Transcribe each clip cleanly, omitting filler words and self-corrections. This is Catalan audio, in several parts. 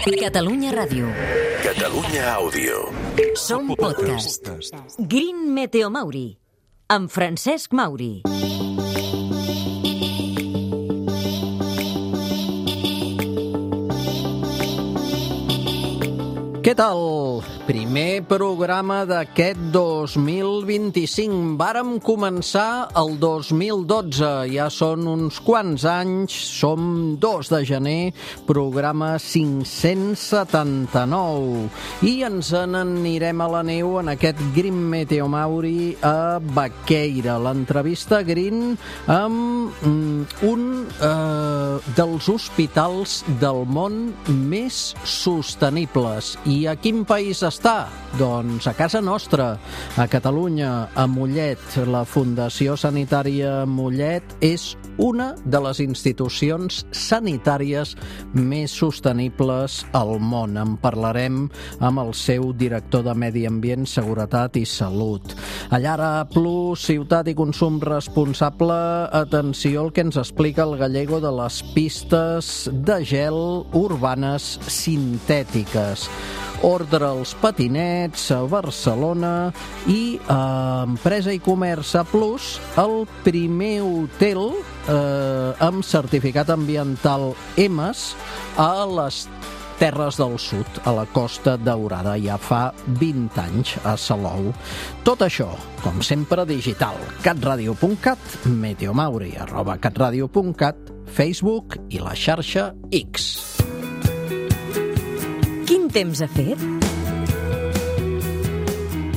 Catalunya Ràdio. Catalunya Àudio. Som podcast. Green Meteo Mauri, amb Francesc Mauri. Què tal? Primer programa d'aquest 2025. Vàrem començar el 2012, ja són uns quants anys, som 2 de gener, programa 579. I ens n'anirem a la neu en aquest Green Meteo Mauri a Baqueira. L'entrevista Green amb un dels hospitals del món més sostenibles. I a quin país està? Doncs a casa nostra, a Catalunya, a Mollet. La Fundació Sanitària Mollet és una de les institucions sanitàries més sostenibles al món. En parlarem amb el seu director de Medi Ambient, Seguretat i Salut. Allara Plus, Ciutat i Consum Responsable, atenció al que ens explica el gallego de les pistes de gel urbanes sintètiques. Ordre als patinets a Barcelona i a Empresa i Comerç A Plus, el primer hotel amb certificat ambiental EMAS a les Terres del Sud, a la Costa Daurada, ja fa 20 anys a Salou. Tot això, com sempre, digital. catradio.cat, meteomauri, @catradio.cat, Facebook i la xarxa X. Quin temps ha fet?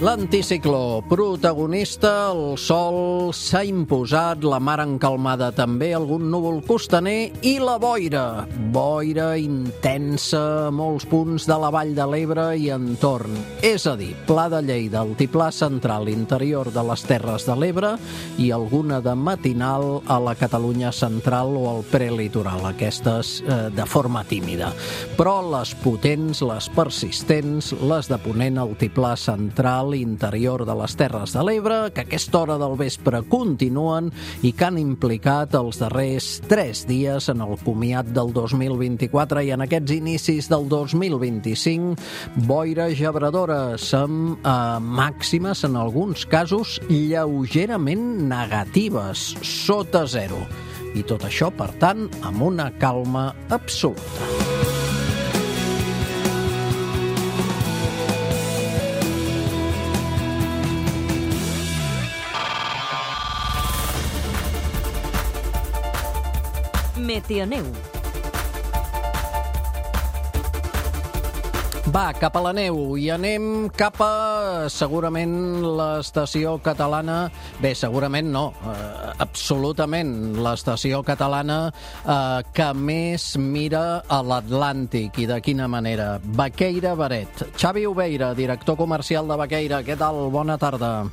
L'anticicló, protagonista, el sol s'ha imposat, la mar encalmada també, algun núvol costaner i la boira. Boira intensa a molts punts de la Vall de l'Ebre i entorn. És a dir, Pla de Lleida, altiplà central interior de les Terres de l'Ebre i alguna de matinal a la Catalunya central o al prelitoral, aquestes de forma tímida. Però les potents, les persistents, les de ponent, altiplà central, interior de les Terres de l'Ebre, que a aquesta hora del vespre continuen i que han implicat els darrers 3 dies en el comiat del 2024 i en aquests inicis del 2025, boires gebradores amb màximes, en alguns casos, lleugerament negatives, sota 0. I tot això, per tant, amb una calma absoluta. Meteoneu. Va, cap a la neu i anem cap a, segurament, l'estació catalana... Bé, segurament no, absolutament, l'estació catalana que més mira a l'Atlàntic. I de quina manera? Baqueira Beret. Xavi Obeira, director comercial de Baqueira. Què tal? Bona tarda.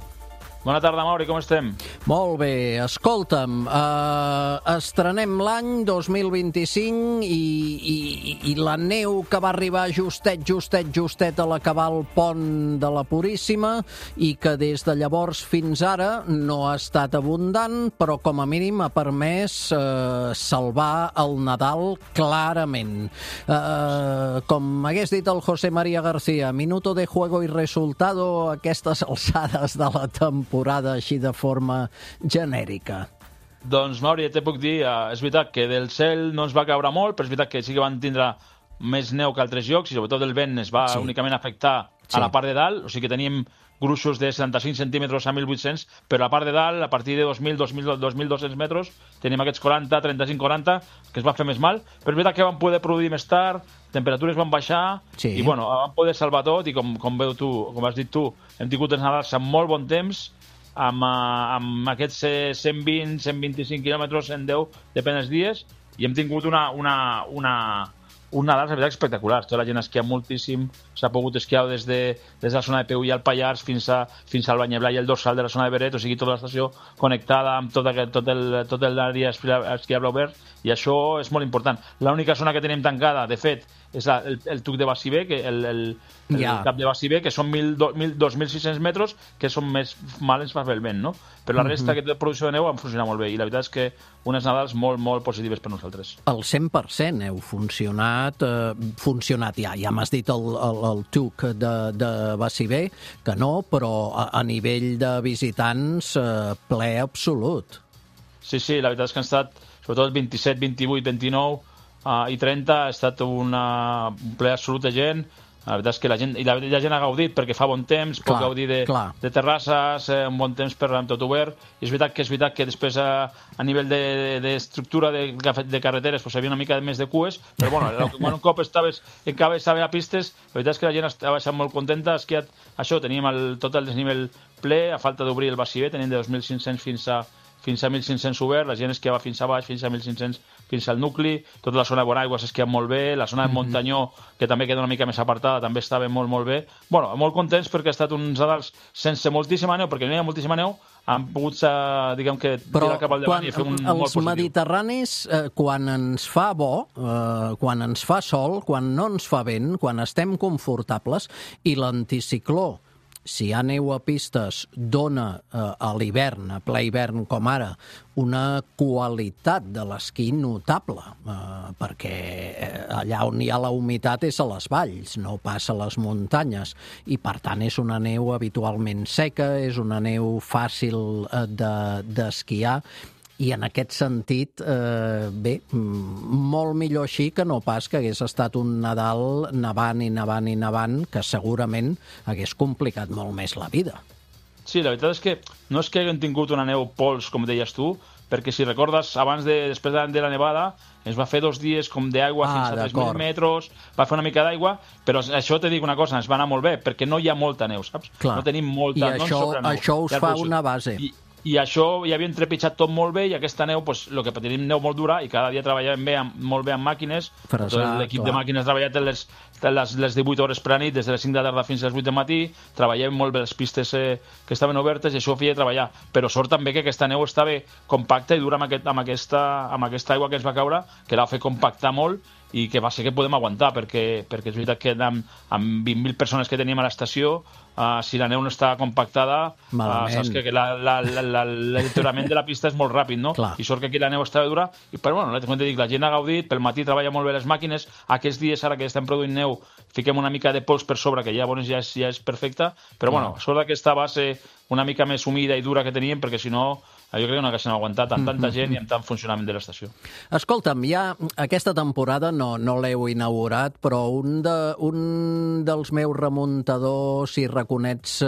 Bona tarda, Mauri, com estem? Molt bé, escolta'm, estrenem l'any 2025 i la neu que va arribar justet a l'acabar el pont de la Puríssima i que des de llavors fins ara no ha estat abundant, però com a mínim ha permès salvar el Nadal clarament. Com hagués dit el José María García, minuto de juego y resultado a aquestes alçades de la temporada així de forma genèrica. Doncs, Mauri, te puc dir, és veritat que del cel no ens va caure molt, però és veritat que sí que van tindre més neu que altres llocs i sobretot el vent es va únicament afectar a la part de dalt, o sigui que teníem gruixos de 75 centímetres a 1.800, però a la part de dalt, a partir de 2.200 metres, tenim aquests 40, 35-40, que es va fer més mal, però és veritat que van poder produir més tard, temperatures van baixar, i bueno, van poder salvar tot, i com has dit tu, hem tingut els Nadals amb molt bon temps, amb aquests 120-125 quilòmetres, 110, depèn dels dies, i hem tingut un Nadal, la veritat, espectacular. Tota la gent esquia moltíssim, s'ha pogut esquiar des de la zona de Peu i al Pallars fins al Banyeblà i el dorsal de la zona de Beret, o sigui, tota l'estació connectada amb tot l'àrea esquiable obert, i això és molt important. L'única zona que tenim tancada, de fet, és el tuc de Bassibé, el cap de Bassibé, que són 2.600 metres, que són més mal ens fa fer el vent, no? Però la resta de producció de neu han funcionat molt bé, i la veritat és que unes Nadals molt, molt positives per nosaltres. El 100% heu funcionat ja. Ja m'has dit el tuc de Bassibé, que no, però a nivell de visitants, ple absolut. Sí, la veritat és que han estat, sobretot el 27, 28, 29 i 30, ha estat un ple absolut de gent. La veritat és que la gent ha gaudit perquè fa bon temps, pot gaudir de terrasses, un bon temps per amb tot obert. I és veritat que després a nivell d'estructura de carreteres hi havia una mica més de cues, però quan un cop estava a pistes, la veritat és que la gent estava molt contenta. Teníem tot el desnivell ple, a falta d'obrir el Bassibé, tenim de 2.500 fins a 1.500 obert, la gent esquiava fins a baix, fins a 1.500, fins al nucli, tota la zona de Bonaigua s'esquia molt bé, la zona del Montanyó, que també queda una mica més apartada, també estava molt, molt bé. Molt contents perquè ha estat uns Nadals sense moltíssima neu, perquè no hi ha moltíssima neu, han pogut, diguem que, tirar cap al davant i fer un molt positiu. Els mediterranis, quan ens fa bo, quan ens fa sol, quan no ens fa vent, quan estem confortables, i l'anticicló, si hi ha neu a pistes, dona a l'hivern, a ple hivern com ara, una qualitat de l'esquí notable, perquè allà on hi ha la humitat és a les valls, no pas a les muntanyes, i per tant és una neu habitualment seca, és una neu fàcil d'esquiar, i en aquest sentit, molt millor així que no pas que hagués estat un Nadal nevant, que segurament hagués complicat molt més la vida. Sí, la veritat és que no és que haguem tingut una neu pols, com deies tu, perquè si recordes, després de la nevada, ens va fer 2 dies com d'aigua fins a 3.000 metres, va fer una mica d'aigua, però això te dic una cosa, ens va anar molt bé, perquè no hi ha molta neu, saps? Clar. No tenim molta... I això us fa una base. I això ja havia trepitjat tot molt bé, i aquesta neu, el que tenim neu molt dura, i cada dia treballàvem molt bé amb màquines. L'equip de màquines ha treballat les 18 hores per a nit, des de les 5 de la tarda fins a les 8 de matí, treballàvem molt bé les pistes que estaven obertes, i això ho feia treballar. Però sort també que aquesta neu estava compacta i dura amb aquesta aigua que ens va caure, que la va fer compactar molt, i que va ser que podem aguantar, perquè és veritat que amb 20.000 persones que teníem a l'estació, si la neu no està compactada, saps que l'alterament de la pista és molt ràpid, no? Clar. I sort que aquí la neu estava dura, però la gent ha gaudit, pel matí treballa molt bé les màquines, aquests dies ara que estem produint neu fiquem una mica de pols per sobre, que ja és perfecta, però sort d'aquesta base una mica més humida i dura que teníem, perquè si no jo crec que no haguéssim aguantat amb tanta gent i amb tant funcionament de l'estació. Escolta'm, ja aquesta temporada no l'heu inaugurat, però un dels meus remuntadors i raconets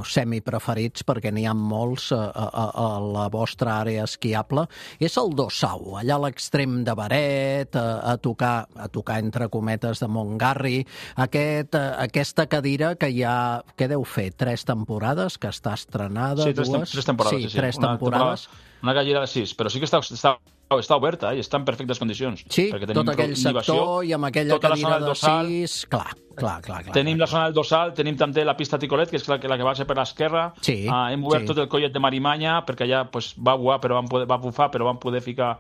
semipreferits, perquè n'hi ha molts a la vostra àrea esquiable, és el Dossau, allà a l'extrem de Beret, a tocar entre cometes de Montgarri, aquesta cadira que ja, què deu fer, 3 temporades, que està estrenada? Sí, 3 temporades. Sí, 3 temporades. Una cadira de 6, però sí que està oberta i està en perfectes condicions. Sí, tot aquell sector i amb aquella cadira de 6... Clar. Tenim la zona del Dossal, tenim també la pista Ticolet, que és la que va ser per l'esquerra. Sí, hem obert tot el collet de Marimanya, perquè allà va buar, però va bufar, però vam poder ficar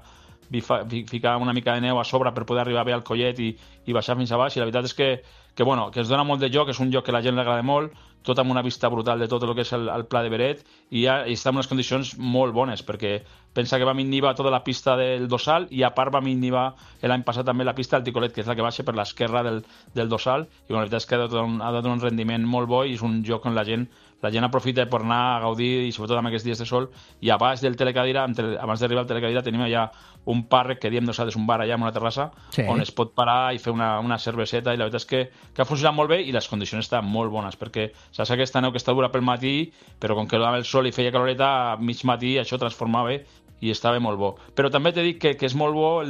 una mica de neu a sobre per poder arribar bé al collet i baixar fins a baix. I la veritat és que es dona molt de joc, és un joc que a la gent li agrada molt, tot amb una vista brutal de tot el que és el Pla de Beret, i està en unes condicions molt bones, perquè pensa que vam innivar tota la pista del Dossal, i a part vam innivar l'any passat també la pista del Ticolet, que és la que baixa per l'esquerra del Dossal, i la veritat és que ha donat un rendiment molt bo, i és un joc on la gent aprofita per anar a gaudir, i sobretot amb aquests dies de sol. I a baix del Telecadira, abans d'arribar al Telecadira, tenim allà un parc que diem nosaltres un bar allà amb una terrassa, on es pot parar i fer una cerveseta, i la veritat és que ha funcionat molt bé, i les condicions estan molt bones, perquè saps aquesta neu que està dura pel matí, però com que donava el sol i feia caloreta, a mig matí això transformava i estava molt bo. Però també t'he dit que és molt bo,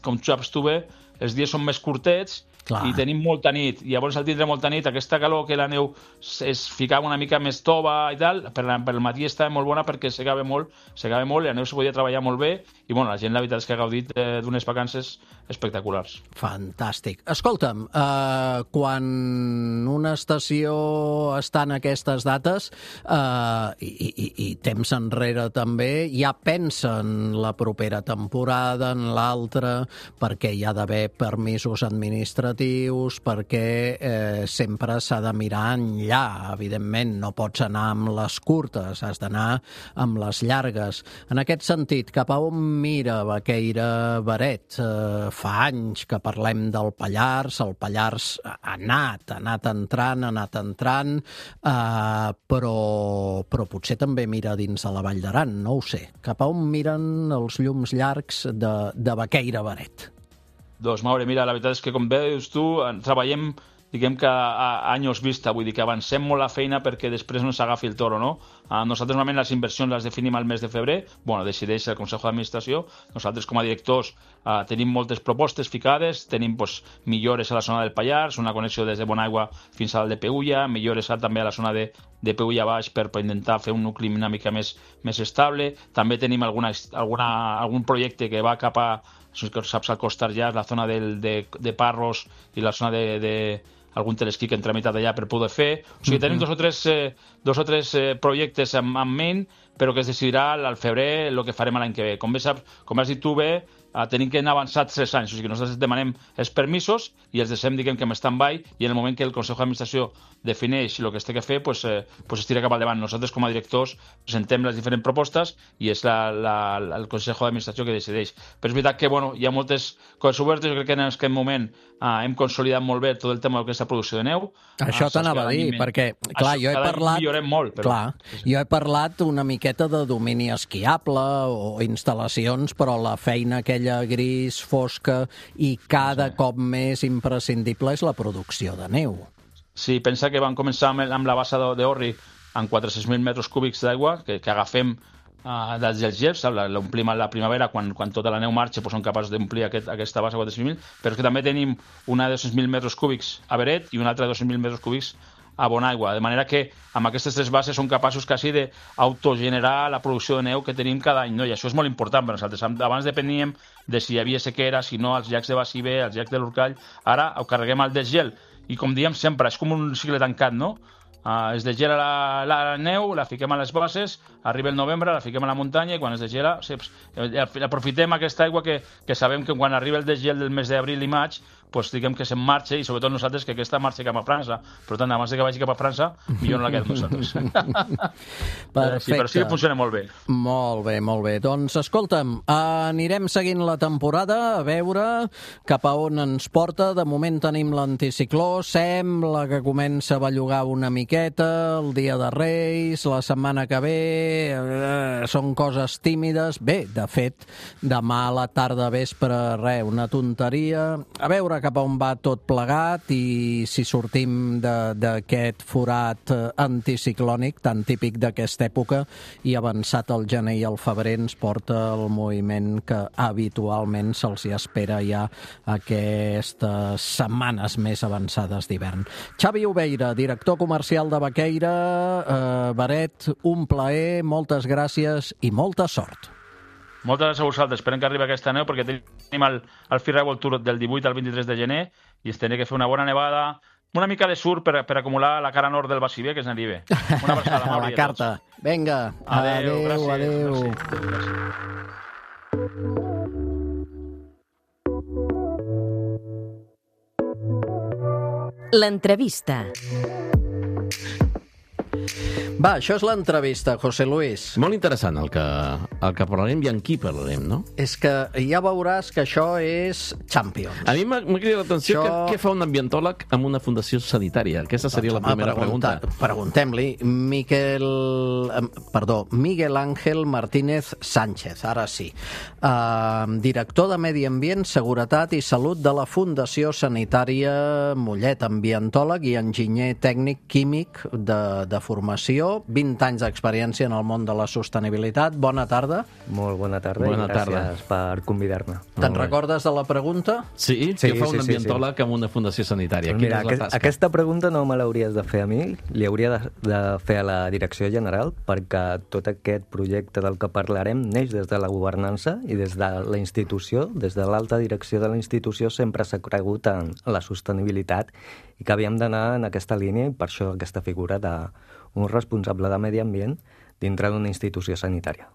com saps tu bé, els dies són més curtets, clar, i tenim molta nit, i llavors al tindre molta nit, aquesta calor que la neu es ficava una mica més tova i tal, pel matí estava molt bona perquè segava molt, i la neu se podia treballar molt bé, i la gent la veritat és que ha gaudit d'unes vacances espectaculars. Fantàstic. Escolta'm, quan una estació està en aquestes dates, i temps enrere també, ja pensa en la propera temporada, en l'altra, perquè hi ha d'haver permisos administratius, perquè sempre s'ha de mirar enllà. Evidentment, no pots anar amb les curtes, has d'anar amb les llargues. En aquest sentit, cap a on mira Baqueira Beret? Fa anys que parlem del Pallars, el Pallars ha anat entrant, però potser també mira dins de la Vall d'Aran, no ho sé. Cap a on miren els llums llargs de Baqueira Beret? Doncs, Maure, mira, la veritat és que, com veus tu, treballem, diguem que a anys vista, vull dir que avancem molt la feina perquè després no s'agafi el toro, no? Nosaltres normalment les inversions les definim al mes de febrer, decideix el Consell d'Administració. Nosaltres com a directors tenim moltes propostes ficades, tenim millores a la zona del Pallars, una connexió des de Bonaigua fins al de Peulla, millores també a la zona de Peulla baix per intentar fer un nucli una mica més estable. També tenim algun projecte que va cap a, saps, al Costar ja, la zona de Parros i la zona de algun telesquí que hem tramitat allà per poder fer. O sigui, tenim dos o tres projectes en ment, però que es decidirà al febrer el que farem l'any que ve. Com has dit tu bé, tenim que anar avançats 3 anys. O sigui, nosaltres demanem els permisos i els deixem, diguem, que en stand-by, i en el moment que el Consell d'Administració defineix el que es té que fer, es tira cap al davant. Nosaltres, com a directors, presentem les diferents propostes i és el Consell d'Administració que decideix. Però és veritat que hi ha moltes coses obertes. Jo crec que en aquest moment hem consolidat molt bé tot el tema d'aquesta producció de neu. Això t'anava a dir, perquè, clar, jo he parlat... Millorem molt, però... Clar, jo he parlat una miqueta de domini esquiable o instal·lacions, però la feina aquella gris, fosca i cada cop més imprescindible és la producció de neu. Sí, pensa que vam començar amb la bassa d'Orri amb 400.000 metres cúbics d'aigua que agafem dels gells, l'omplim a la primavera quan tota la neu marxa, som capaços d'omplir aquesta bassa de 400.000, però és que també tenim una de 200.000 metres cúbics a Beret i una altra de 200.000 metres cúbics a Bonaigua, de manera que amb aquestes 3 bases som capaços quasi d'autogenerar la producció de neu que tenim cada any, no? I això és molt important per nosaltres. Abans depeníem de si hi havia sequera, si no, als llacs de Baciver, als llacs de l'Urcall. Ara ho carreguem al desgel i, com diem sempre, és com un cicle tancat, no? Es degela la neu, la fiquem a les bases, arriba el novembre, la fiquem a la muntanya i quan es degela aprofitem aquesta aigua que sabem que quan arriba el desgel del mes d'abril i maig, diguem que se'n marxa, i sobretot nosaltres que aquesta marxa cap a França. Per tant, abans que vagi cap a França, millor no la quedem nosaltres. Perfecte. Sí, però sí que funciona molt bé. Molt bé, molt bé. Doncs, escolta'm, anirem seguint la temporada, a veure cap a on ens porta. De moment tenim l'anticicló, sembla que comença a bellugar una miqueta, el dia de Reis, la setmana que ve, són coses tímides. Bé, de fet, demà a la tarda, vespre, una tonteria. A veure cap a on va tot plegat i si sortim d'aquest forat anticiclònic tan típic d'aquesta època i avançat el gener i el febrer ens porta el moviment que habitualment se'ls espera ja aquestes setmanes més avançades d'hivern. Xavi Oveira, director comercial de Baqueira Beret, un plaer, moltes gràcies i molta sort. Moltes gràcies a vosaltres. Esperem que arribi aquesta neu perquè tenim el Freeride World Tour del 18 al 23 de gener i es tenia que fer una bona nevada, una mica de surf per acumular la cara nord del Baciver, que es n'arribi. Una abraçada, Mauri. A la carta. Vinga, adéu. L'entrevista. Va, això és l'entrevista, José Luis. Molt interessant el que parlarem i en qui parlarem, no? És que ja veuràs que això és Champions. A mi m'ha cridat l'atenció què fa un ambientòleg amb una fundació sanitària. Aquesta seria la primera pregunta. Preguntem-li. Miguel Ángel Martínez Sánchez, ara sí. Director de Medi Ambient, Seguretat i Salut de la Fundació Sanitària Mollet, ambientòleg i enginyer tècnic químic de formació, 20 anys d'experiència en el món de la sostenibilitat. Bona tarda. Molt bona tarda i gràcies per convidar-me. Te'n recordes de la pregunta? Sí, què fa un ambientòleg amb una fundació sanitària? Mira, aquesta pregunta no me l'hauries de fer a mi, li hauria de fer a la Direcció General, perquè tot aquest projecte del que parlarem neix des de la governança i des de la institució, des de l'alta direcció de la institució sempre s'ha cregut en la sostenibilitat i que havíem d'anar en aquesta línia i per això aquesta figura d'un responsable de medi ambient dintre d'una institució sanitària.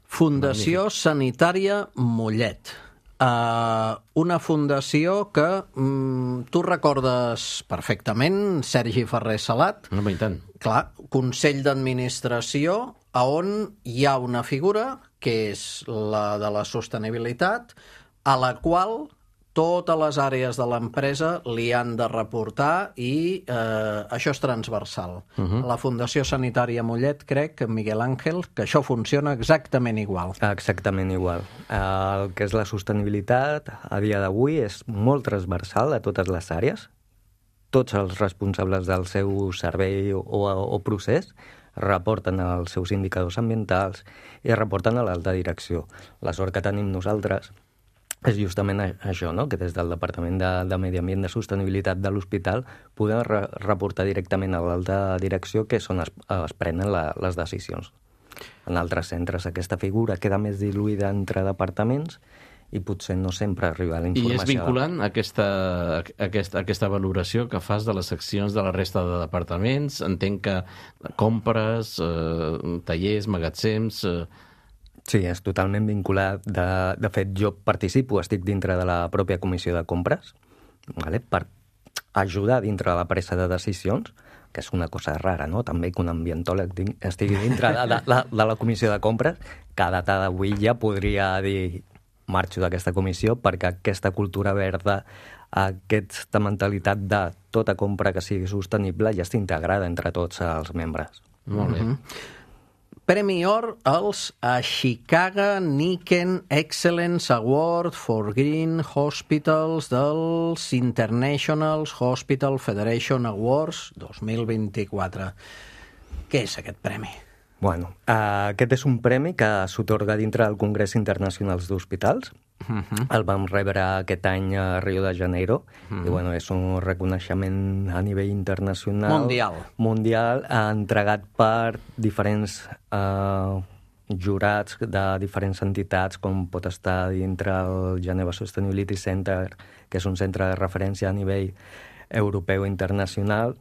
Fundació Sanitària Mollet. una fundació que tu recordes perfectament, Sergi Ferrer Salat. No, i tant. Clar, Consell d'Administració, on hi ha una figura, que és la de la sostenibilitat, a la qual totes les àrees de l'empresa li han de reportar i això és transversal. La Fundació Sanitària Mollet, crec, Miguel Àngel, que això funciona exactament igual. Exactament igual. El que és la sostenibilitat a dia d'avui és molt transversal a totes les àrees. Tots els responsables del seu servei o procés reporten els seus indicadors ambientals i reporten a l'alta direcció. La sort que tenim nosaltres és justament això, no? Que des del Departament de Medi Ambient de Sostenibilitat de l'Hospital podem reportar directament a l'alta direcció, que és on es prenen les decisions. En altres centres aquesta figura queda més diluïda entre departaments i potser no sempre arriba la informació. I és vinculant aquesta valoració que fas de les accions de la resta de departaments? Entenc que compres, tallers, magatzems... Sí, és totalment vinculat. De fet, jo participo, estic dintre de la pròpia comissió de compres, vale? Per ajudar dintre de la presa de decisions, que és una cosa rara, no? També que un ambientòleg estigui dintre de la comissió de compres, que a data d'avui ja podria dir marxo d'aquesta comissió perquè aquesta cultura verda, aquesta mentalitat de tota compra que sigui sostenible ja està integrada entre tots els membres. Molt bé. Premi Or als Ashikaga Niken Excellence Award for Green Hospitals dels International Hospital Federation Awards 2024. Què és aquest premi? Bueno, aquest és un premi que s'atorga dintre del Congrés Internacional d'Hospitals. El vam rebre aquest any a Rio de Janeiro i bueno, és un reconeixement a nivell internacional mundial entregat per diferents jurats de diferents entitats, com pot estar dintre el Geneva Sustainability Center, que és un centre de referència a nivell europeu i internacional,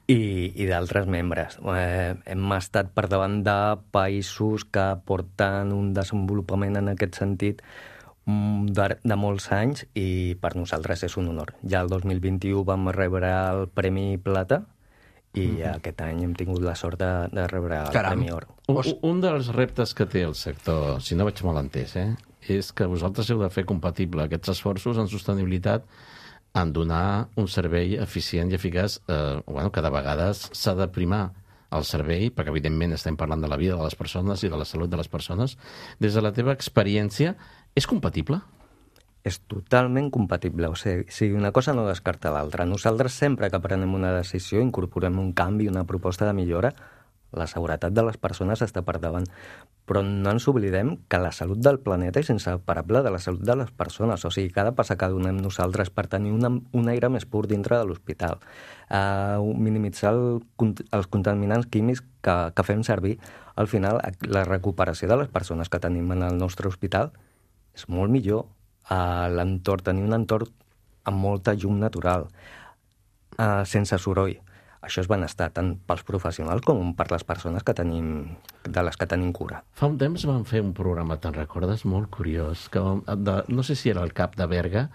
i d'altres membres. Hem estat per davant de països que porten un desenvolupament en aquest sentit de molts anys i per nosaltres és un honor. Ja el 2021 vam rebre el Premi Plata i aquest any hem tingut la sort de rebre el Premi Or. Un dels reptes que té el sector, si no vaig mal entès, és que vosaltres heu de fer compatible aquests esforços en sostenibilitat en donar un servei eficient i eficaç, que de vegades s'ha de primar el servei, perquè evidentment estem parlant de la vida de les persones i de la salut de les persones. Des de la teva experiència, és compatible? És totalment compatible. O sigui, una cosa no descarta l'altra. Nosaltres sempre que prenem una decisió incorporem un canvi, una proposta de millora. La seguretat de les persones està per davant. Però no ens oblidem que la salut del planeta és inseparable de la salut de les persones. O sigui, cada passa que donem nosaltres per tenir un aire més pur dintre de l'hospital, minimitzar els contaminants químics que fem servir, al final la recuperació de les persones que tenim en el nostre hospital és molt millor. L'entorn, tenir un entorn amb molta llum natural, sense soroll. Això és benestar tant pels professionals com per les persones de les que tenim cura. Fa un temps vam fer un programa, te'n recordes? Molt curiós. No sé si era el cap de Berga,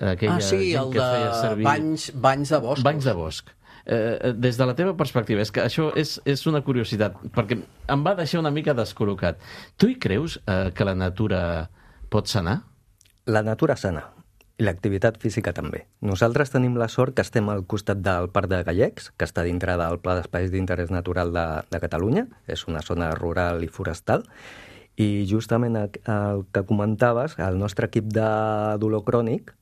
aquella gent que feia servir... Banys de bosc. Banys de bosc. Des de la teva perspectiva, és que això és una curiositat, perquè em va deixar una mica descol·locat. Tu hi creus que la natura pot sanar? La natura sana, i l'activitat física també. Nosaltres tenim la sort que estem al costat del Parc de Gallecs, que està dintre del Pla d'Espais d'Interès Natural de Catalunya, és una zona rural i forestal, i justament el que comentaves, el nostre equip de dolor crònic,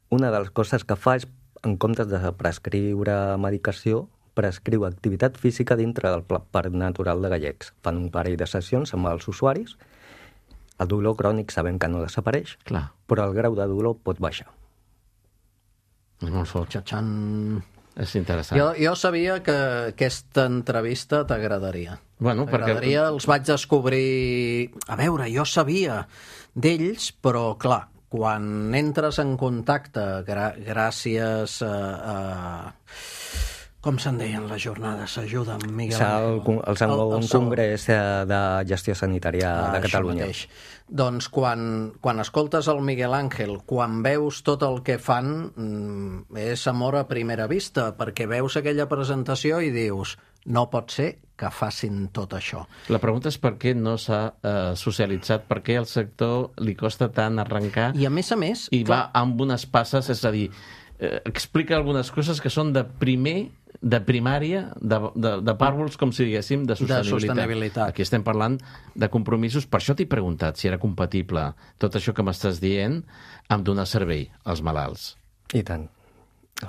una de les coses que fa és, en comptes de prescriure medicació, prescriu activitat física dintre del Parc Natural de Gallecs. Fan un parell de sessions amb els usuaris. El dolor crònic sabem que no desapareix, però el grau de dolor pot baixar. És molt fort. És interessant. Jo sabia que aquesta entrevista t'agradaria. T'agradaria, els vaig descobrir... A veure, jo sabia d'ells, però clar, quan entres en contacte gràcies Com se'n deien les jornades? S'ajuda amb Miguel El segon Congrés de Gestió Sanitària de Catalunya. Mateix. Doncs quan escoltes el Miguel Ángel, quan veus tot el que fan, és amor a primera vista, perquè veus aquella presentació i dius, no pot ser que facin tot això. La pregunta és per què no s'ha socialitzat, per què al sector li costa tant arrencar I a més, i va amb unes passes, és a dir, explica algunes coses que són de primària, de pàrvuls, com si diguéssim, de sostenibilitat. Aquí estem parlant de compromisos. Per això t'he preguntat si era compatible tot això que m'estàs dient amb donar servei als malalts. I tant.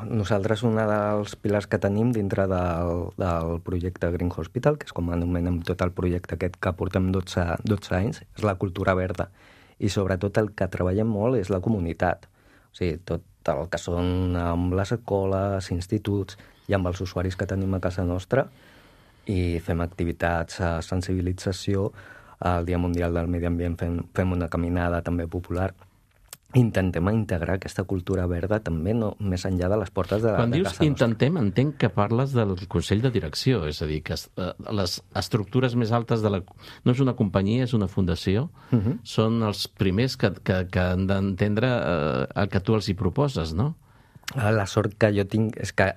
Nosaltres, un dels pilars que tenim dintre del projecte Green Hospital, que és com anomenem tot el projecte aquest que portem 12 anys, és la cultura verda. I sobretot el que treballem molt és la comunitat. O sigui, tot el que són amb les escoles, instituts i amb els usuaris que tenim a casa nostra, i fem activitats de sensibilització. El Dia Mundial del Medi Ambient fem una caminada també popular. Intentem integrar aquesta cultura verda també més enllà de les portes de casa nostra. Quan dius intentem, entenc que parles del Consell de Direcció, és a dir, que les estructures més altes no és una companyia, és una fundació, són els primers que han d'entendre el que tu els hi proposes, no? La sort que jo tinc és que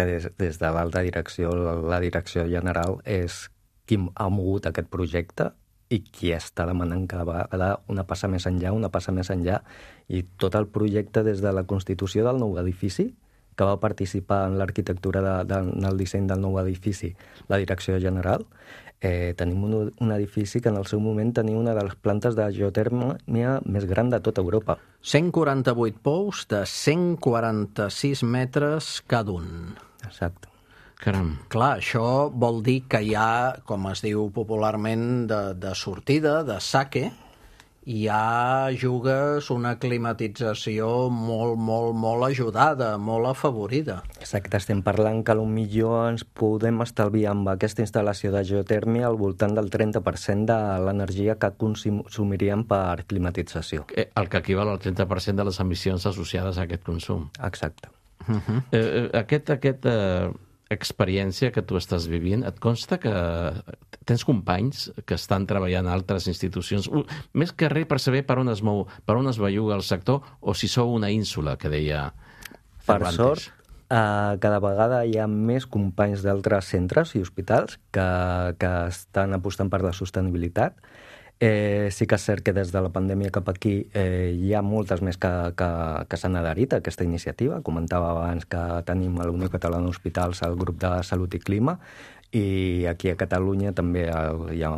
des de l'alta direcció, la direcció general, és qui ha mogut aquest projecte i qui està demanant cada vegada una passa més enllà, i tot el projecte des de la constitució del nou edifici, que va participar en l'arquitectura del disseny del nou edifici, la direcció general. Tenim un edifici que en el seu moment tenia una de les plantes de geotèrmia més gran de tota Europa. 148 pous de 146 metres cada un. Exacte. Caram. Clar, això vol dir que hi ha, com es diu popularment, de sortida, de saque, i ja jugues una climatització molt ajudada, molt afavorida. Exacte, estem parlant que potser ens podem estalviar amb aquesta instal·lació de geotèrmia al voltant del 30% de l'energia que consumiríem per climatització. El que equival al 30% de les emissions associades a aquest consum. Exacte. Aquesta experiència que tu estàs vivint, et consta que tens companys que estan treballant a altres institucions, més que res per saber per on es mou, per on es belluga el sector, o si sou una ínsula, que deia Cervantes? Per sort, cada vegada hi ha més companys d'altres centres i hospitals que estan apostant per la sostenibilitat. Sí que és cert que des de la pandèmia cap aquí hi ha moltes més que s'han adherit a aquesta iniciativa. Comentava abans que tenim a la Unió Catalana d'Hospitals el grup de Salut i Clima, i aquí a Catalunya també hi ha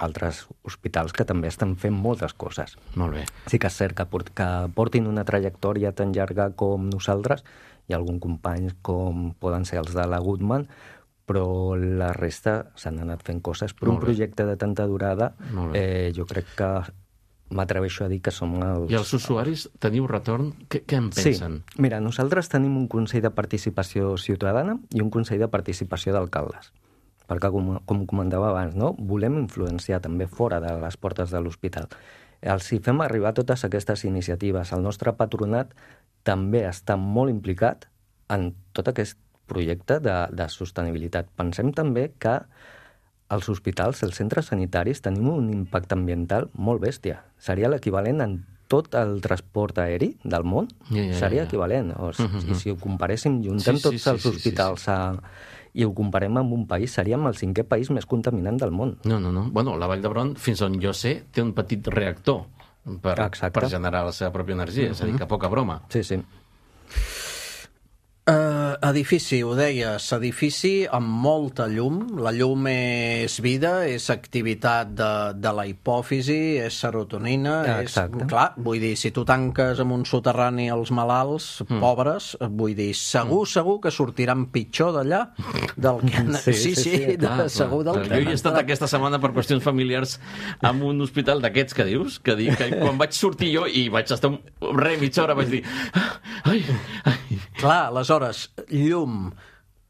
altres hospitals que també estan fent moltes coses. Molt bé. Sí que és cert que portin una trajectòria tan llarga com nosaltres. Hi ha alguns companys com poden ser els de la Goodman, però la resta s'han anat fent coses. Per un projecte de tanta durada, jo crec que m'atreveixo a dir que som els... I els usuaris teniu retorn? Què en pensen? Sí. Mira, nosaltres tenim un Consell de Participació Ciutadana i un Consell de Participació d'Alcaldes. Perquè, com comentava abans, no? Volem influenciar també fora de les portes de l'hospital. Els hi fem arribar totes aquestes iniciatives. El nostre patronat també està molt implicat en tot aquest projecte de sostenibilitat. Pensem també que als hospitals, als centres sanitaris, tenim un impacte ambiental molt bèstia. Seria l'equivalent en tot el transport aeri del món. Seria equivalent. I si ho comparéssim, juntem tots els hospitals i ho comparem amb un país, seríem el 5è país més contaminant del món. No. Bueno, la Vall d'Hebron, fins on jo sé, té un petit reactor per generar la seva pròpia energia. És a dir, que poca broma. Sí. Edifici, ho deies, edifici amb molta llum. La llum és vida, és activitat de la hipòfisi, és serotonina. Clar, vull dir, si tu tanques amb un soterrani els malalts, pobres, vull dir, segur que sortiran pitjor d'allà del que... segur del que... Jo hi he estat aquesta setmana per qüestions familiars en un hospital d'aquests que dius, que quan vaig sortir jo i vaig estar mitja hora, vaig dir... Clar, aleshores, llum,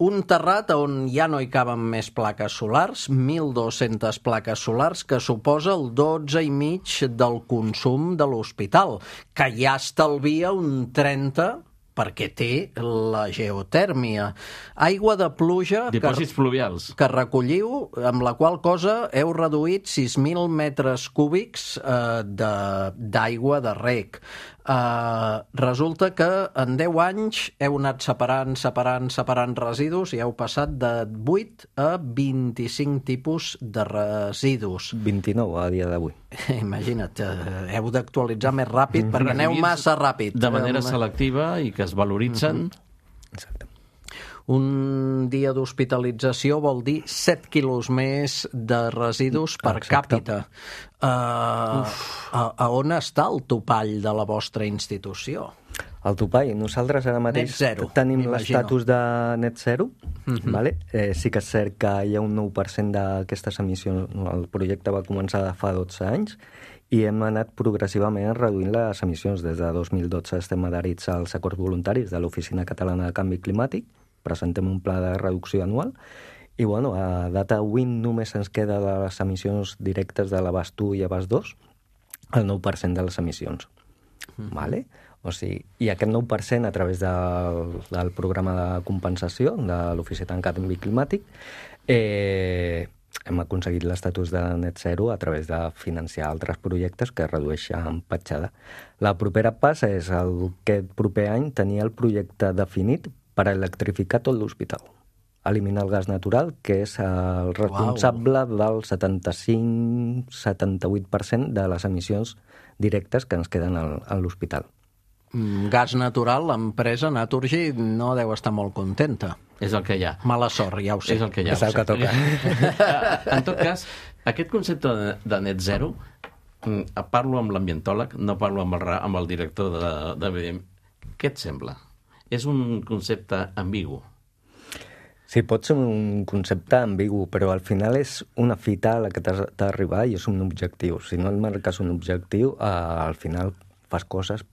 un terrat on ja no hi caben més plaques solars, 1.200 plaques solars, que suposa el 12,5% del consum de l'hospital, que ja estalvia un 30% perquè té la geotèrmia. Aigua de pluja Dipòsits pluvials. que recolliu, amb la qual cosa heu reduït 6.000 metres cúbics d'aigua de reg. Resulta que en 10 anys heu anat separant residus i heu passat de 8 a 25 tipus de residus. 29 a dia d'avui. Imagina't, heu d'actualitzar més ràpid perquè aneu massa ràpid. De manera selectiva i que es valoritzen. Exacte. Un dia d'hospitalització vol dir 7 quilos més de residus per càpita. A on està el topall de la vostra institució? El topall, nosaltres ara mateix tenim l'estatus de net zero, vale? Sí que és cert que hi ha un 9% d'aquestes emissions, el projecte va començar fa 12 anys, i hem anat progressivament reduint les emissions. Des de 2012 estem adherits als acords voluntaris de l'Oficina Catalana de Canvi Climàtic, presentem un pla de reducció anual, i bueno, a data d'avui només ens queda de les emissions directes de l'abast 1 i abast 2, el 9% de les emissions. Vale? O sigui, i aquest 9% a través del programa de compensació de l'Oficina de Canvi Climàtic hem aconseguit l'estatus de net zero a través de financiar altres projectes que redueixen petjada. La propera pas és aquest proper any tenir el projecte definit per electrificar tot l'hospital. Eliminar el gas natural, que és el responsable del 75-78% de les emissions directes que ens queden a l'hospital. Gas natural, l'empresa Naturgy no deu estar molt contenta. És el que hi ha. Mala sort, ja ho sé. És el que hi ha. És el que toca. En tot cas, aquest concepte de net zero, parlo amb l'ambientòleg, no parlo amb el director de Medi. Què et sembla? És un concepte ambigu? Sí, pot ser un concepte ambigu, però al final és una fita a la que t'has d'arribar i és un objectiu. Si no et marques un objectiu, al final fas coses,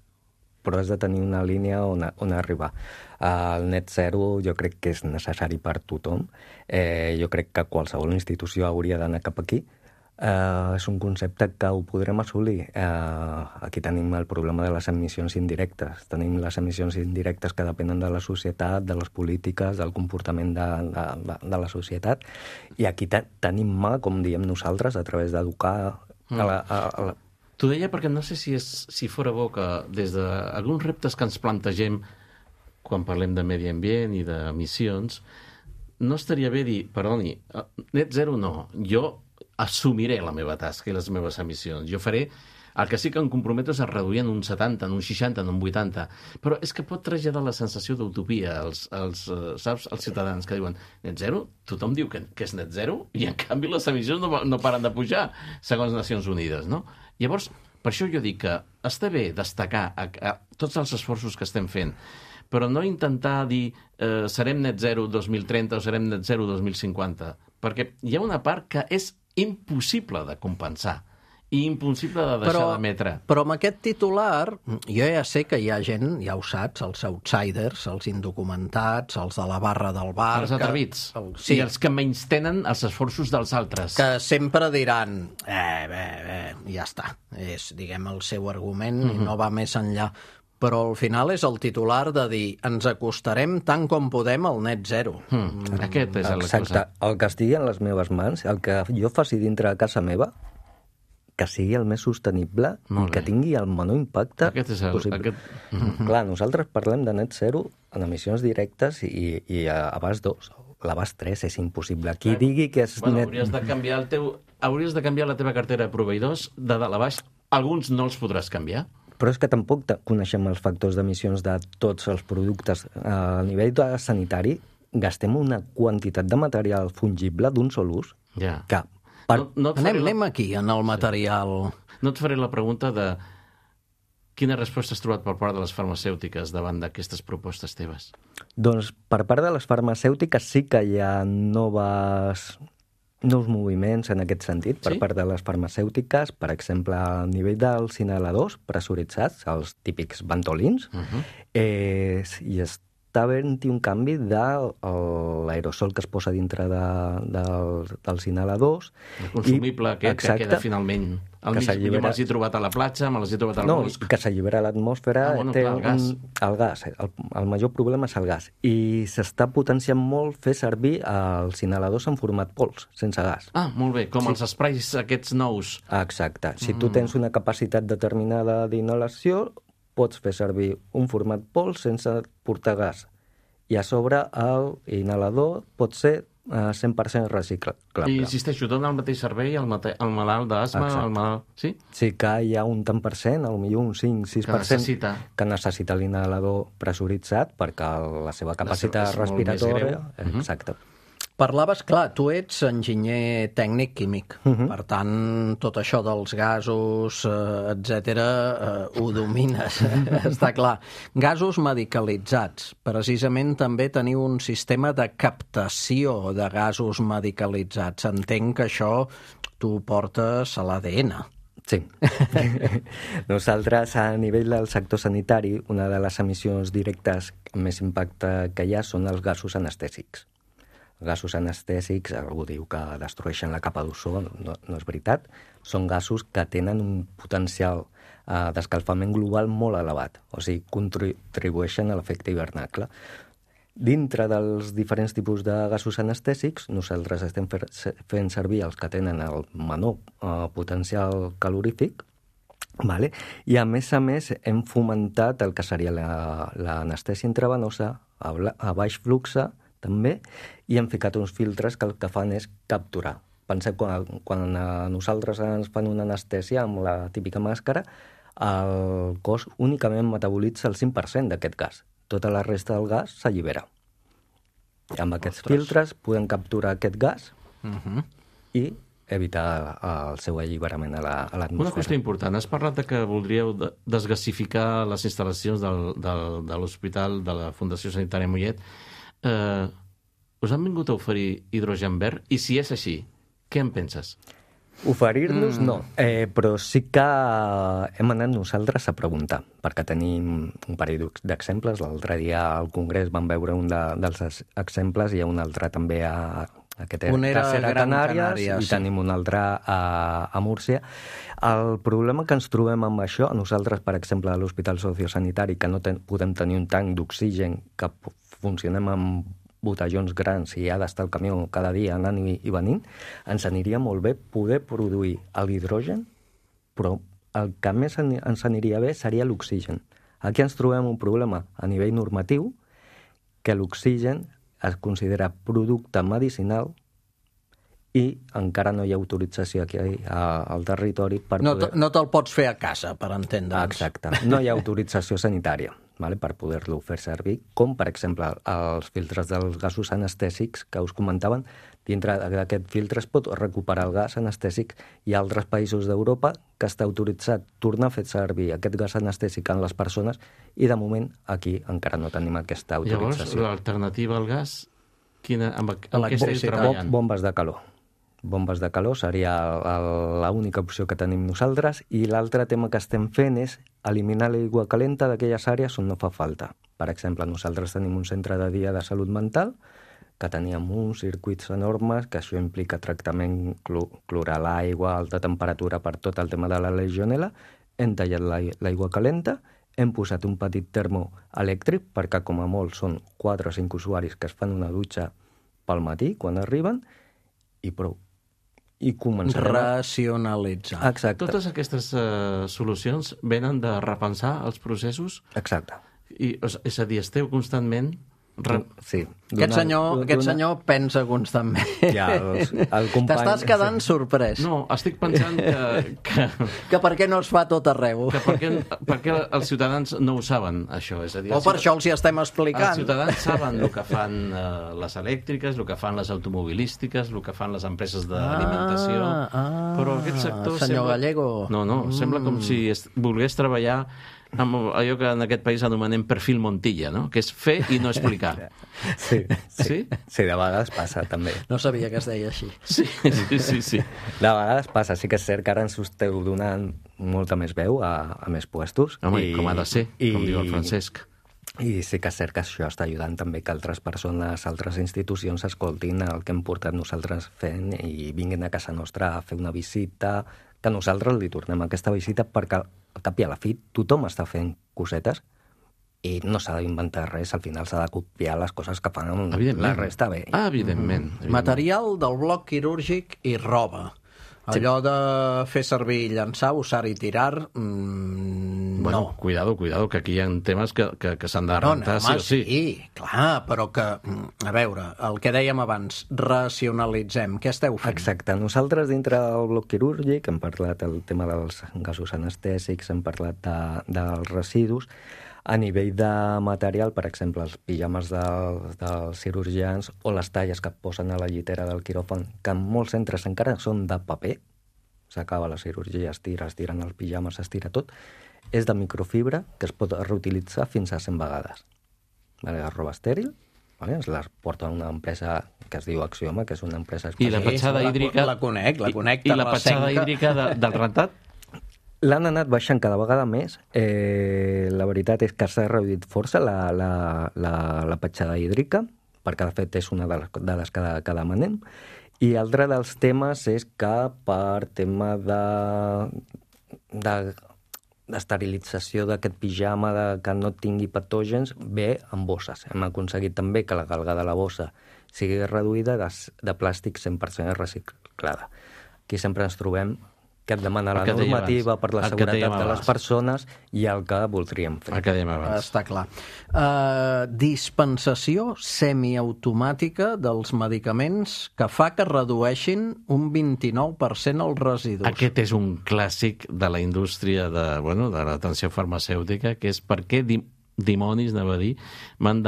però has de tenir una línia on arribar. El net zero jo crec que és necessari per tothom. Jo crec que qualsevol institució hauria d'anar cap aquí. És un concepte que ho podrem assolir. Aquí tenim el problema de les emissions indirectes. Tenim les emissions indirectes que depenen de la societat, de les polítiques, del comportament de la societat. I aquí tenim mà, com diem nosaltres, a través d'educar T'ho deia perquè no sé si fora bo que des d'alguns reptes que ens plantegem quan parlem de medi ambient i d'emissions, no estaria bé dir, perdoni, net zero no, jo assumiré la meva tasca i les meves emissions. Jo faré el que sí que em comprometo és a reduir en un 70, en un 60, en un 80. Però és que pot traslladar la sensació d'utopia als ciutadans que diuen net zero, tothom diu que és net zero i en canvi les emissions no paren de pujar, segons Nacions Unides, no? Llavors, per això jo dic que està bé destacar tots els esforços que estem fent, però no intentar dir serem net zero 2030 o serem net zero 2050, perquè hi ha una part que és impossible de compensar i impossible de deixar d'emetre. Però amb aquest titular, jo ja sé que hi ha gent, ja ho saps, els outsiders, els indocumentats, els de la barra del bar... Els atrevits. I els que menystenen els esforços dels altres. Que sempre diran, ja està, és, diguem, el seu argument i no va més enllà. Però al final és el titular de dir ens acostarem tant com podem al net zero. Aquest és el Exacte. El que estigui en les meves mans, el que jo faci dintre de casa meva, que sigui el més sostenible i que tingui el menor impacte possible. Clar, nosaltres parlem de net zero en emissions directes i a abast 2. L'abast 3 és impossible. Qui digui que és net... Hauries de canviar la teva cartera de proveïdors de dalt a baix. Alguns no els podràs canviar. Però és que tampoc coneixem els factors d'emissions de tots els productes. A nivell sanitari gastem una quantitat de material fungible d'un sol ús que... Anem aquí, en el material. No et faré la pregunta de quina resposta has trobat per part de les farmacèutiques davant d'aquestes propostes teves? Doncs per part de les farmacèutiques sí que hi ha nous moviments en aquest sentit per part de les farmacèutiques. Per exemple, a nivell dels inhaladors pressuritzats, els típics ventolins, i està havent-hi un canvi de l'aerosol que es posa dintre dels inhaladors. El consumible aquest que queda finalment al mig. Jo me l'he trobat a la platja, me l'he trobat al bosc. No, que s'allibera a l'atmosfera. El gas. El major problema és el gas. I s'està potenciant molt fer servir els inhaladors en format pols, sense gas. Ah, molt bé, com els sprays aquests nous. Exacte. Si tu tens una capacitat determinada d'inhalació, pots fer servir un format pols sense portar gas. I a sobre l'inhalador pot ser 100% reciclable. I insisteixo, dona el mateix servei al malalt d'asma, al malalt... Sí? Sí que hi ha un tant per cent, potser un 5-6% que necessita l'inhalador pressuritzat perquè la seva capacitat respiratòria... Exacte. Parlaves, clar, tu ets enginyer tècnic químic, per tant, tot això dels gasos, etc., ho domines, està clar. Gasos medicalitzats. Precisament també teniu un sistema de captació de gasos medicalitzats. Entenc que això tu portes a l'ADN. Sí. Nosaltres, a nivell del sector sanitari, una de les emissions directes amb més impacte que hi ha són els gasos anestèsics. Gasos anestèsics, algú diu que destrueixen la capa d'ozó, no és veritat. Són gasos que tenen un potencial d'escalfament global molt elevat, o sigui, contribueixen a l'efecte hivernacle. Dintre dels diferents tipus de gasos anestèsics, nosaltres estem fent servir els que tenen el menor potencial calorífic, i a més hem fomentat el que seria l'anestèsia intravenosa a baix flux també, i hem ficat uns filtres que el que fan és capturar. Penseu, quan a nosaltres ens fan una anestèsia amb la típica màscara, el cos únicament metabolitza el 5% d'aquest gas. Tota la resta del gas s'allibera. Amb aquests filtres podem capturar aquest gas i evitar el seu alliberament a l'atmosfera. Una qüestió important. Has parlat que voldríeu desgasificar les instal·lacions de l'hospital de la Fundació Sanitària Mollet. Us han vingut a oferir hidrogen verd? I si és així, què en penses? Oferir-nos no, però sí que hem anat nosaltres a preguntar, perquè tenim un parell d'exemples. L'altre dia al Congrés vam veure un dels exemples, i hi ha un altre també a Canàries, i tenim un altre a Múrcia. El problema que ens trobem amb això, nosaltres, per exemple, a l'Hospital Sociosanitari, que no podem tenir un tanc d'oxigen, que funcionem amb botellons grans i ha d'estar el camió cada dia anant i venint, ens aniria molt bé poder produir l'hidrogen, però el que més ens aniria bé seria l'oxigen. Aquí ens trobem un problema a nivell normatiu, que l'oxigen es considera producte medicinal i encara no hi ha autorització aquí al territori per poder... No te'l pots fer a casa, per entendre'ns. Exacte. No hi ha autorització sanitària per poder-lo fer servir, com, per exemple, els filtres dels gasos anestèsics que us comentaven. Dintre d'aquest filtre es pot recuperar el gas anestèsic. Hi ha altres països d'Europa que està autoritzat tornar a fer servir aquest gas anestèsic en les persones, i de moment aquí encara no tenim aquesta autorització. Llavors, l'alternativa al gas, amb què esteu treballant? Bombes de calor. Bombes de calor seria l'única opció que tenim nosaltres, i l'altre tema que estem fent és eliminar l'aigua calenta d'aquelles àrees on no fa falta. Per exemple, nosaltres tenim un centre de dia de salut mental que teníem uns circuits enormes, que això implica tractament, clorar l'aigua, alta temperatura per tot el tema de la legionel·la. Hem tallat l'aigua calenta, hem posat un petit termo elèctric, perquè com a molt són 4 o 5 usuaris que es fan una dutxa pel matí quan arriben, i prou. I començarem racionalitzar. Exacte. Totes aquestes solucions venen de repensar els processos? Exacte. És a dir, esteu constantment... Sí. Aquest senyor pensa constantment. Ja, el company... T'estàs quedant sorprès. No, estic pensant que per què no es fa tot arreu? Perquè els ciutadans no ho saben, això. És a dir, per això els hi estem explicant. Els ciutadans saben el que fan les elèctriques, el que fan les automobilístiques, el que fan les empreses d'alimentació, però aquest sector... Senyor Gallego... No, sembla com si volgués treballar amb allò que en aquest país anomenem perfil Montilla, no? Que és fer i no explicar. Sí, de vegades passa, també. No sabia que es deia així. Sí. De vegades passa, sí que és cert que ara ens esteu donant molta més veu a més puestos. Home, com ha de ser, com diu el Francesc. I sí que és cert que això està ajudant també que altres persones, altres institucions escoltin el que hem portat nosaltres fent i vinguin a casa nostra a fer una visita, que nosaltres li tornem aquesta visita perquè al cap i a la fi tothom està fent cosetes i no s'ha d'inventar res, al final s'ha de copiar les coses que fan la resta bé. Evidentment. Material del bloc quirúrgic i roba. Allò de fer servir i llançar, usar i tirar, Bueno, no. cuidado, que aquí hi ha temes que s'han de rentar, sí o sí. Sí, clar, però que, a veure, el que dèiem abans, racionalitzem. Què esteu fent? Exacte. Nosaltres, dintre del bloc quirúrgic, hem parlat del tema dels gasos anestèsics, hem parlat dels residus. A nivell de material, per exemple, els pijames dels cirurgians o les talles que posen a la llitera del quiròfan, que en molts centres encara són de paper, s'acaba la cirurgia, es tiren els pijames, s'estira tot, és de microfibra que es pot reutilitzar fins a 100 vegades. Vale, la roba estèril, vale, es la porta una empresa que es diu Axioma, que és una empresa I la especial. petjada hídrica... La conec, I la petjada hídrica del rentat? L'han anat baixant cada vegada més. La veritat és que s'ha reduït força la petjada hídrica, perquè de fet és una de les que demanem. I altre dels temes és que per tema d'esterilització d'aquest pijama, que no tingui patògens, ve en bosses. Hem aconseguit també que la galga de la bossa sigui reduïda de plàstic 100% reciclada. Aquí sempre ens trobem que et demana la normativa per la seguretat de les persones i el que voldríem fer. El que dèiem abans. Està clar. Dispensació semiautomàtica dels medicaments que fa que redueixin un 29% els residus. Aquest és un clàssic de la indústria de l'atenció farmacèutica, que és per què dimonis, anava a dir, m'han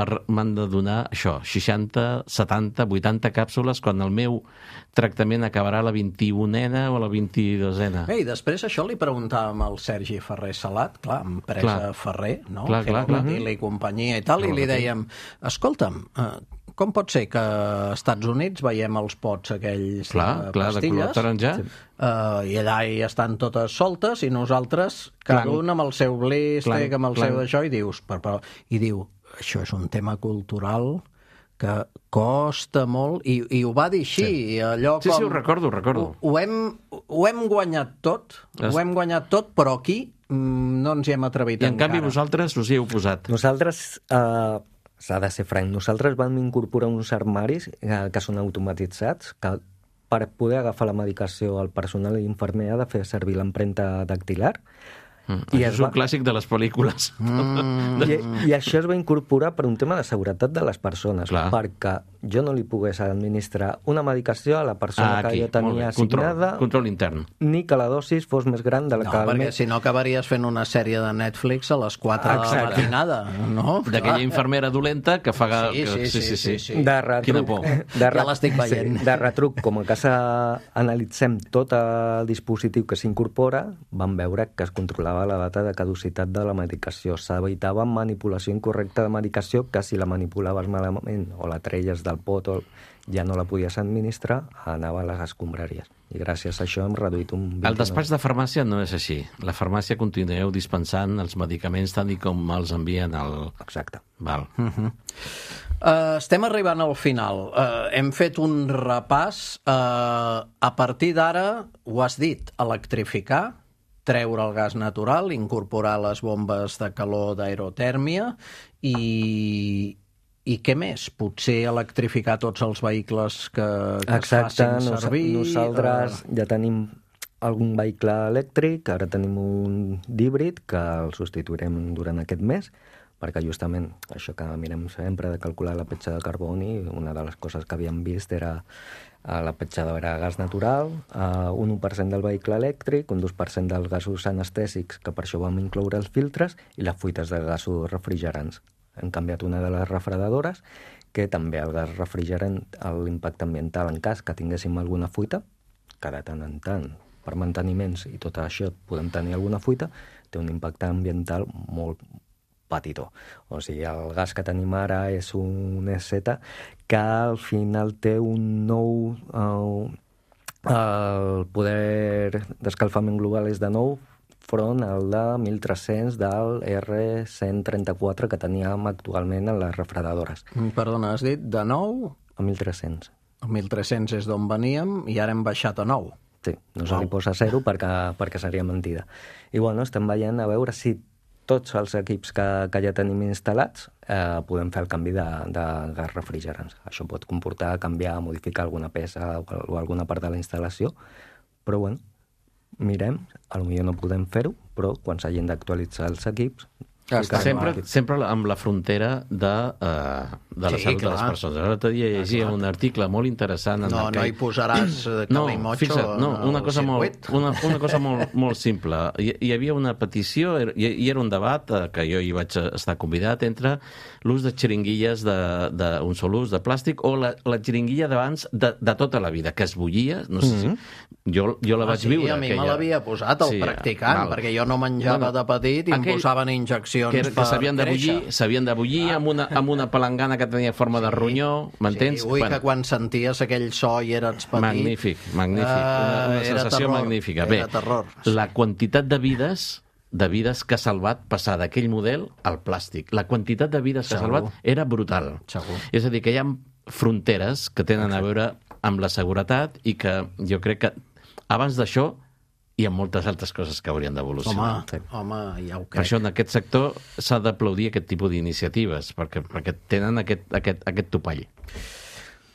de donar això, 60, 70, 80 càpsules quan el meu tractament acabarà a la 21a o a la 22a. I després això li preguntàvem al Sergi Ferrer Salat, clar, empresa Ferrer, no? Clar. I companyia i tal, i li dèiem, escolta'm, com pot ser que als Estats Units veiem els pots aquells de pastilles, de color taronja, i allà hi estan totes soltes i nosaltres, cada un amb el seu blístic, amb el seu d'això, i dius, i diu, això és un tema cultural que costa molt, i ho va dir així, allò com... Sí, ho recordo. Ho hem guanyat tot, però aquí no ens hi hem atrevit encara. I en canvi vosaltres us hi heu posat. Nosaltres... s'ha de ser franc. Nosaltres vam incorporar uns armaris que són automatitzats, que per poder agafar la medicació al personal i infermer ha de fer servir l'empremta dactilar. Això és un clàssic de les pel·lícules. I això es va incorporar per un tema de seguretat de les persones, perquè jo no li pogués administrar una medicació a la persona que jo tenia assignada, control intern, ni que la dosis fos més gran de la que... No, perquè si no acabaries fent una sèrie de Netflix a les 4 de la matinada, no? D'aquella infermera dolenta que fa... Sí. De retruc. Quina por. Ja l'estic veient. De retruc, com a casa analitzem tot el dispositiu que s'incorpora, vam veure que es controlava la data de caducitat de la medicació. S'evitava manipulació incorrecta de medicació, que si la manipulaves malament o la treies del pot o ja no la podies administrar, anava a les escombraries. I gràcies a això hem reduït un 29%. El despatx de farmàcia no és així. La farmàcia continueu dispensant els medicaments tant i com els envien al... Exacte. Val. Estem arribant al final. Hem fet un repàs. A partir d'ara, ho has dit, electrificar, treure el gas natural, incorporar les bombes de calor d'aerotèrmia i què més? Potser electrificar tots els vehicles que es facin servir? Nosaltres ja tenim algun vehicle elèctric, ara tenim un d'híbrid que el substituirem durant aquest mes, perquè justament això que mirem sempre de calcular la petjada de carboni, una de les coses que havíem vist era la petjada era gas natural, un 1% del vehicle elèctric, un 2% dels gasos anestèsics, que per això vam incloure els filtres, i les fuites de gasos refrigerants. Hem canviat una de les refredadores, que també el gas refrigerant, l'impacte ambiental en cas que tinguéssim alguna fuita, que de tant en tant, per manteniments i tot això podem tenir alguna fuita, té un impacte ambiental molt petitó. O sigui, el gas que tenim ara és un EZ que al final té un nou... el poder d'escalfament global és de 9 front al de 1.300 del R134 que teníem actualment en les refredadores. Perdona, has dit de 9? A 1.300. A 1.300 és d'on veníem i ara hem baixat a 9. Sí, no se li posa 0 perquè seria mentida. I bueno, estem veient a veure si tots els equips que ja tenim instal·lats podem fer el canvi de gas refrigerants. Això pot comportar canviar, modificar alguna peça o alguna part de la instal·lació, però bueno, mirem, potser no podem fer-ho, però quan s'hagin d'actualitzar els equips... Sempre amb la frontera de la salut de les persones. L'altre dia llegia un article molt interessant... No hi posaràs calimotxo... Una cosa molt simple. Hi havia una petició, i era un debat que jo hi vaig estar convidat, entre l'ús de xiringuilles d'un sol ús de plàstic o la xiringuilla d'abans de tota la vida, que es bullia, no sé si... Jo la vaig viure. A mi me l'havia posat el practicant, perquè jo no menjava de petit i em posaven injeccions que s'havien de bullir amb una palangana que tenia forma de ronyó, m'entens? Sí, que quan senties aquell so i eres petit... Magnífic. Una sensació magnífica. Bé, la quantitat de vides que ha salvat passar d'aquell model al plàstic. La quantitat de vides que ha salvat era brutal. Segur. És a dir, que hi ha fronteres que tenen a veure amb la seguretat i que jo crec que abans d'això hi ha moltes altres coses que haurien d'evolucionar. Home, ja ho crec. Per això en aquest sector s'ha d'aplaudir aquest tipus d'iniciatives, perquè tenen aquest topall.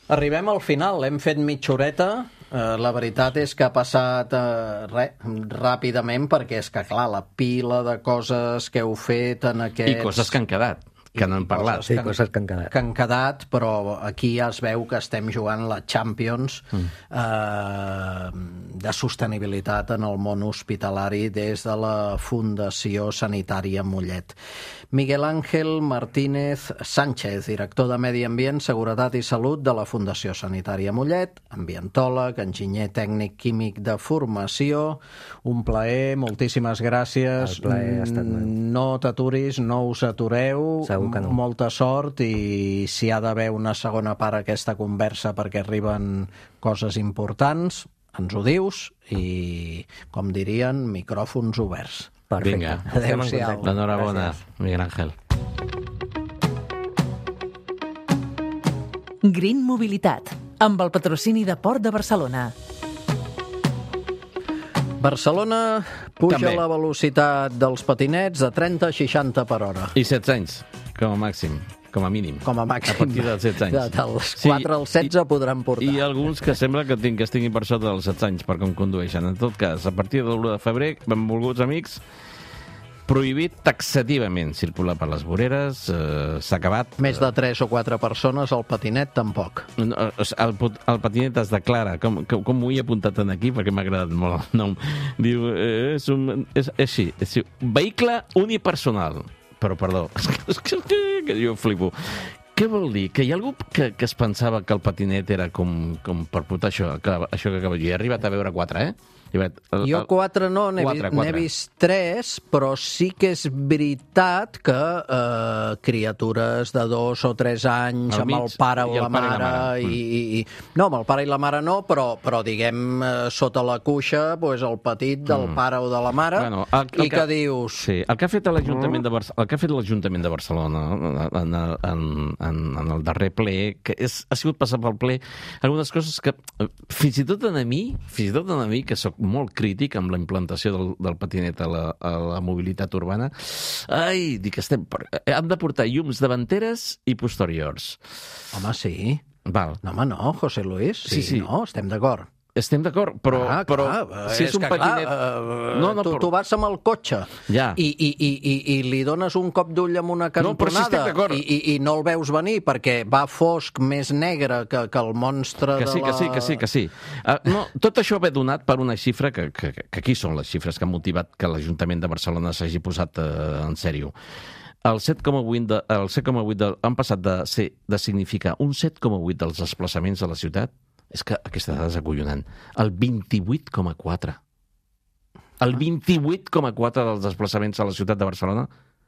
Arribem al final, hem fet mitja horeta. La veritat és que ha passat ràpidament, perquè és que, clar, la pila de coses que heu fet en aquests... I coses que han quedat, que no hem parlat. Sí, coses que han quedat. Que han quedat, però aquí ja es veu que estem jugant la Champions de sostenibilitat en el món hospitalari des de la Fundació Sanitària Mollet. Miguel Ángel Martínez Sánchez, director de Medi Ambient, Seguretat i Salut de la Fundació Sanitària Mollet, ambientòleg, enginyer tècnic químic de formació. Un plaer, moltíssimes gràcies. El plaer ha estat meu. No t'aturis, no us atureu. Segur que no. Molta sort, i si ha d'haver una segona part a aquesta conversa perquè arriben coses importants, ens ho dius, i, com dirien, micròfons oberts. Perfecte. Vinga. Adéu-siau. Enhorabona, Miguel Ángel. Green Mobilitat, amb el patrocini de Port de Barcelona. Barcelona puja També. la velocitat dels patinets de 30 a 60 per hora. I 16 anys, com a màxim, com a mínim. Com a màxim. A partir dels 16 anys. Dels 4 als 16 podran portar. I alguns que sembla que estiguin per sota dels 16 anys per com condueixen. En tot cas, a partir de l'1 de febrer, benvolguts amics, prohibit taxativament circular per les voreres, s'ha acabat. Més de 3 o 4 persones, el patinet tampoc. El patinet es declara, com ho he apuntat aquí, perquè m'ha agradat molt el nom. Diu, és així, vehicle unipersonal. Però, perdó, és que jo flipo. Què vol dir? Que hi ha algú que es pensava que el patinet era com per portar això que acabo de dir. He arribat a veure 4, Jo 4 no, n'he vist 3, però sí que és veritat que criatures de 2 o 3 anys amb el pare o la mare no, amb el pare i la mare no, però diguem sota la cuixa, el petit del pare o de la mare, i que dius... Sí, el que ha fet l'Ajuntament de Barcelona en el darrer ple, que ha sigut passar pel ple algunes coses que fins i tot a mi, que soc molt crític amb la implantació del patinet a la mobilitat urbana, dic, hem de portar llums davanteres i posteriors. Home, sí. Val. No, home, no, José Luis. Sí. No, estem d'acord. Estem d'acord, però si és un patinet... Tu vas amb el cotxe i li dones un cop d'ull amb una cantonada i no el veus venir perquè va fosc, més negre que el monstre de la... Que sí. Tot això ve donat per una xifra que aquí són les xifres que han motivat que l'Ajuntament de Barcelona s'hagi posat en sèrio. El 7,8 han passat de significar un 7,8 dels desplaçaments a la ciutat. És que aquesta dada és acollonant. El 28,4. El 28,4 dels desplaçaments a la ciutat de Barcelona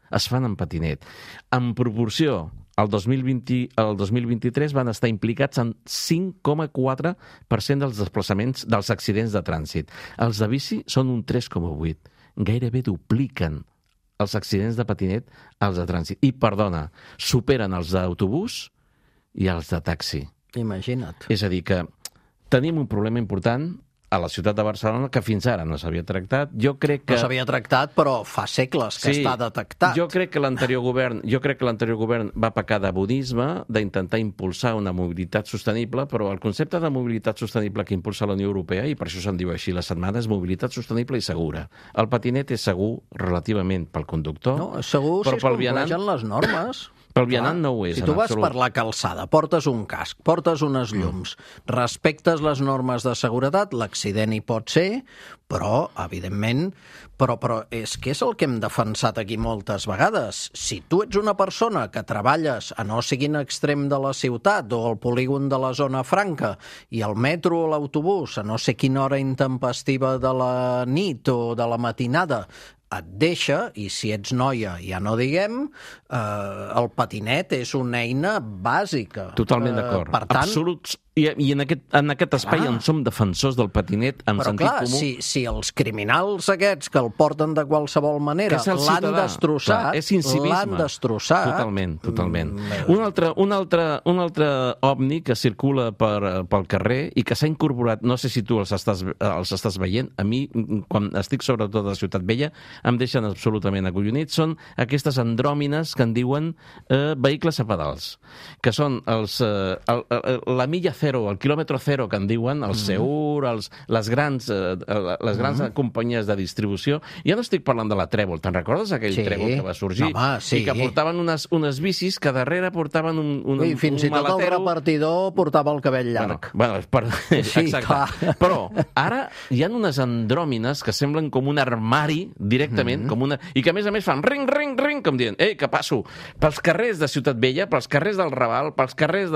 es fan en patinet. En proporció, el 2023 van estar implicats en 5,4% dels desplaçaments dels accidents de trànsit. Els de bici són un 3,8%. gairebé dupliquen els accidents de patinet als de trànsit. I, perdona, superen els d'autobús i els de taxi. Imagina't. És a dir, que tenim un problema important a la ciutat de Barcelona que fins ara no s'havia tractat. Jo crec que... No s'havia tractat, però fa segles que està detectat. Jo crec que l'anterior govern va pecar de bonisme, d'intentar impulsar una mobilitat sostenible, però el concepte de mobilitat sostenible que impulsa la Unió Europea, i per això se'n diu així la setmana, és mobilitat sostenible i segura. El patinet és segur relativament pel conductor, no, és segur si es compleixen les normes. Pel vianant no ho és, si tu vas per la calçada, portes un casc, portes unes llums, respectes les normes de seguretat, l'accident hi pot ser, però, evidentment, però és que és el que hem defensat aquí moltes vegades. Si tu ets una persona que treballes a no sigui en extrem de la ciutat o al polígon de la zona franca i el metro o l'autobús a no sé quina hora intempestiva de la nit o de la matinada et deixa, i si ets noia ja no diguem, el patinet és una eina bàsica. Totalment d'acord. Per tant, absoluts. I en aquest espai on som defensors del patinet en sentit comú... Però clar, si els criminals aquests que el porten de qualsevol manera l'han destrossat, és incivisme. Totalment. Un altre ovni que circula pel carrer i que s'ha incorporat, no sé si tu els estàs veient, a mi, quan estic sobretot a Ciutat Vella, em deixen absolutament acollonits, són aquestes andròmines que en diuen vehicles a pedals, que són la milla zero, el quilòmetre zero que en diuen, el Seur, les grans companyies de distribució. Ja no estic parlant de la Trèvol, te'n recordes aquell Trèvol que va sorgir? Sí. I que portaven unes bicis que darrere portaven un fins i tot el repartidor portava el cabell llarg. Exacte. Però ara hi ha unes andròmines que semblen com un armari directament, i que a més fan ring, ring, ring, com dient, ei, que passo pels carrers de Ciutat Vella, pels carrers del Raval, pels carrers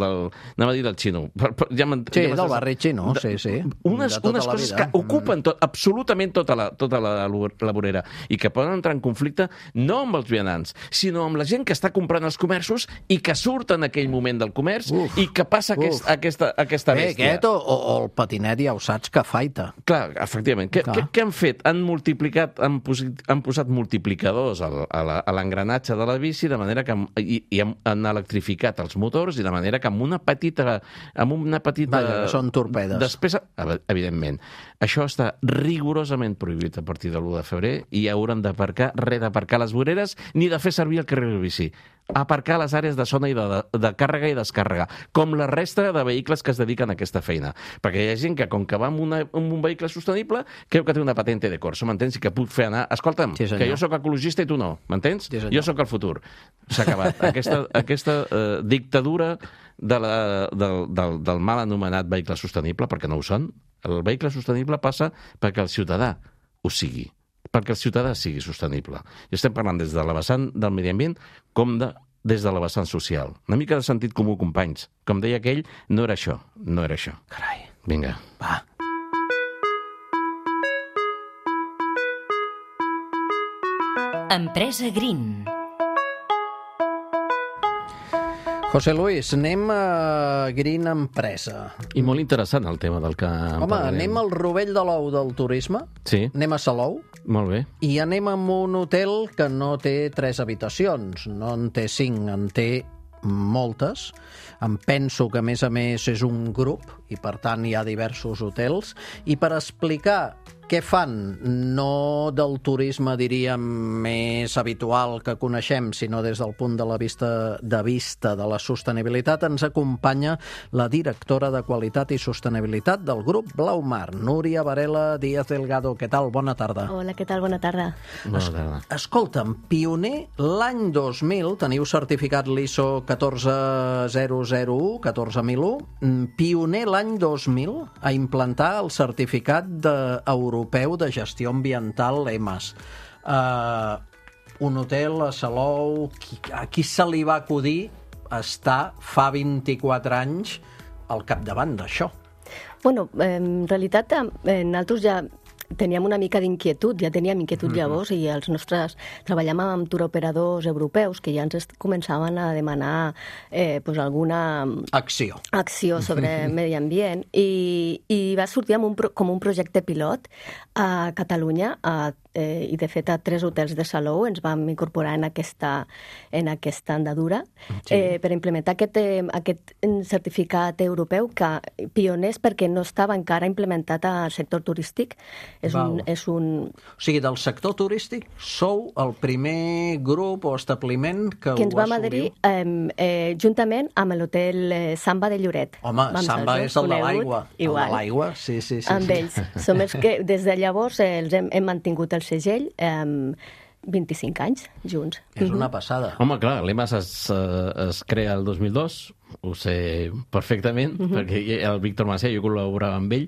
anava a dir del Xino. Del barri Xino, sí. Unes coses que ocupen absolutament tota la vorera i que poden entrar en conflicte no amb els vianants, sinó amb la gent que està comprant els comerços i que surt en aquell moment del comerç i que passa aquesta bèstia. Aquest o el patinet ja ho saps que faita. Clar, efectivament. Què han fet? Han posat multiplicadors a l'engranatge de la bici de manera que han electrificat els motors i de manera que amb una petita Vaja, són torpedes. Despesa, evidentment. Això està rigorosament prohibit a partir de l'1 de febrer i hauran d'aparcar les voreres ni de fer servir el carril de bici. Aparcar les àrees de zona i de càrrega i descàrrega, com la resta de vehicles que es dediquen a aquesta feina. Perquè hi ha gent que, com que va amb un vehicle sostenible, creu que té una patente de corso, m'entens? I que puc fer anar... Escolta'm, que jo sóc ecologista i tu no, m'entens? Jo sóc el futur. S'ha acabat. Aquesta dictadura del mal anomenat vehicle sostenible, perquè no ho són. El vehicle sostenible passa perquè el ciutadà ho sigui, perquè el ciutadà sigui sostenible. I estem parlant des de la vessant del medi ambient com des de la vessant social. Una mica de sentit comú, companys. Com deia aquell, no era això. Carai. Vinga. Va. Empresa Green. José Luis, anem a Green Empresa. I molt interessant el tema del que parlarem. Anem al rovell de l'ou del turisme. Sí. Anem a Salou. Molt bé. I anem a un hotel que no té 3 habitacions, no en té 5, en té moltes. Em penso que, a més, és un grup i, per tant, hi ha diversos hotels. I per explicar què fan, no del turisme, diríem, més habitual que coneixem, sinó des del punt de vista de la sostenibilitat, ens acompanya la directora de Qualitat i Sostenibilitat del grup Blaumar, Núria Varela Díaz Delgado. Què tal? Bona tarda. Hola, què tal? Bona tarda. Bona tarda. Escolta'm, pioner l'any 2000, teniu certificat l'ISO 14001, 14001, pioner l'any 2000 a implantar el certificat europeu de gestió ambiental EMAS. Un hotel a Salou, a qui se li va acudir estar fa 24 anys al capdavant d'això? Bueno, en realitat, nosaltres ja teníem una mica d'inquietud, ja teníem inquietud llavors, i els nostres... Treballàvem amb turoperadors europeus que ja ens començaven a demanar alguna... acció sobre medi ambient, i va sortir com un projecte pilot a Catalunya, i de fet a 3 hotels de Salou ens vam incorporar en aquesta andadura per implementar aquest certificat europeu, que pioners perquè no estava encara implementat al sector turístic. O sigui, del sector turístic sou el primer grup o establiment que ens vam adherir juntament amb l'hotel Samba de Lloret. Home, Samba és el de l'aigua. El de l'aigua, sí. Amb ells. Som els que des de llavors hem mantingut el segell 25 anys junts. És una passada. Home, clar, l'EMAS es crea el 2002, ho sé perfectament, perquè el Víctor Macià, jo col·laborava amb ell,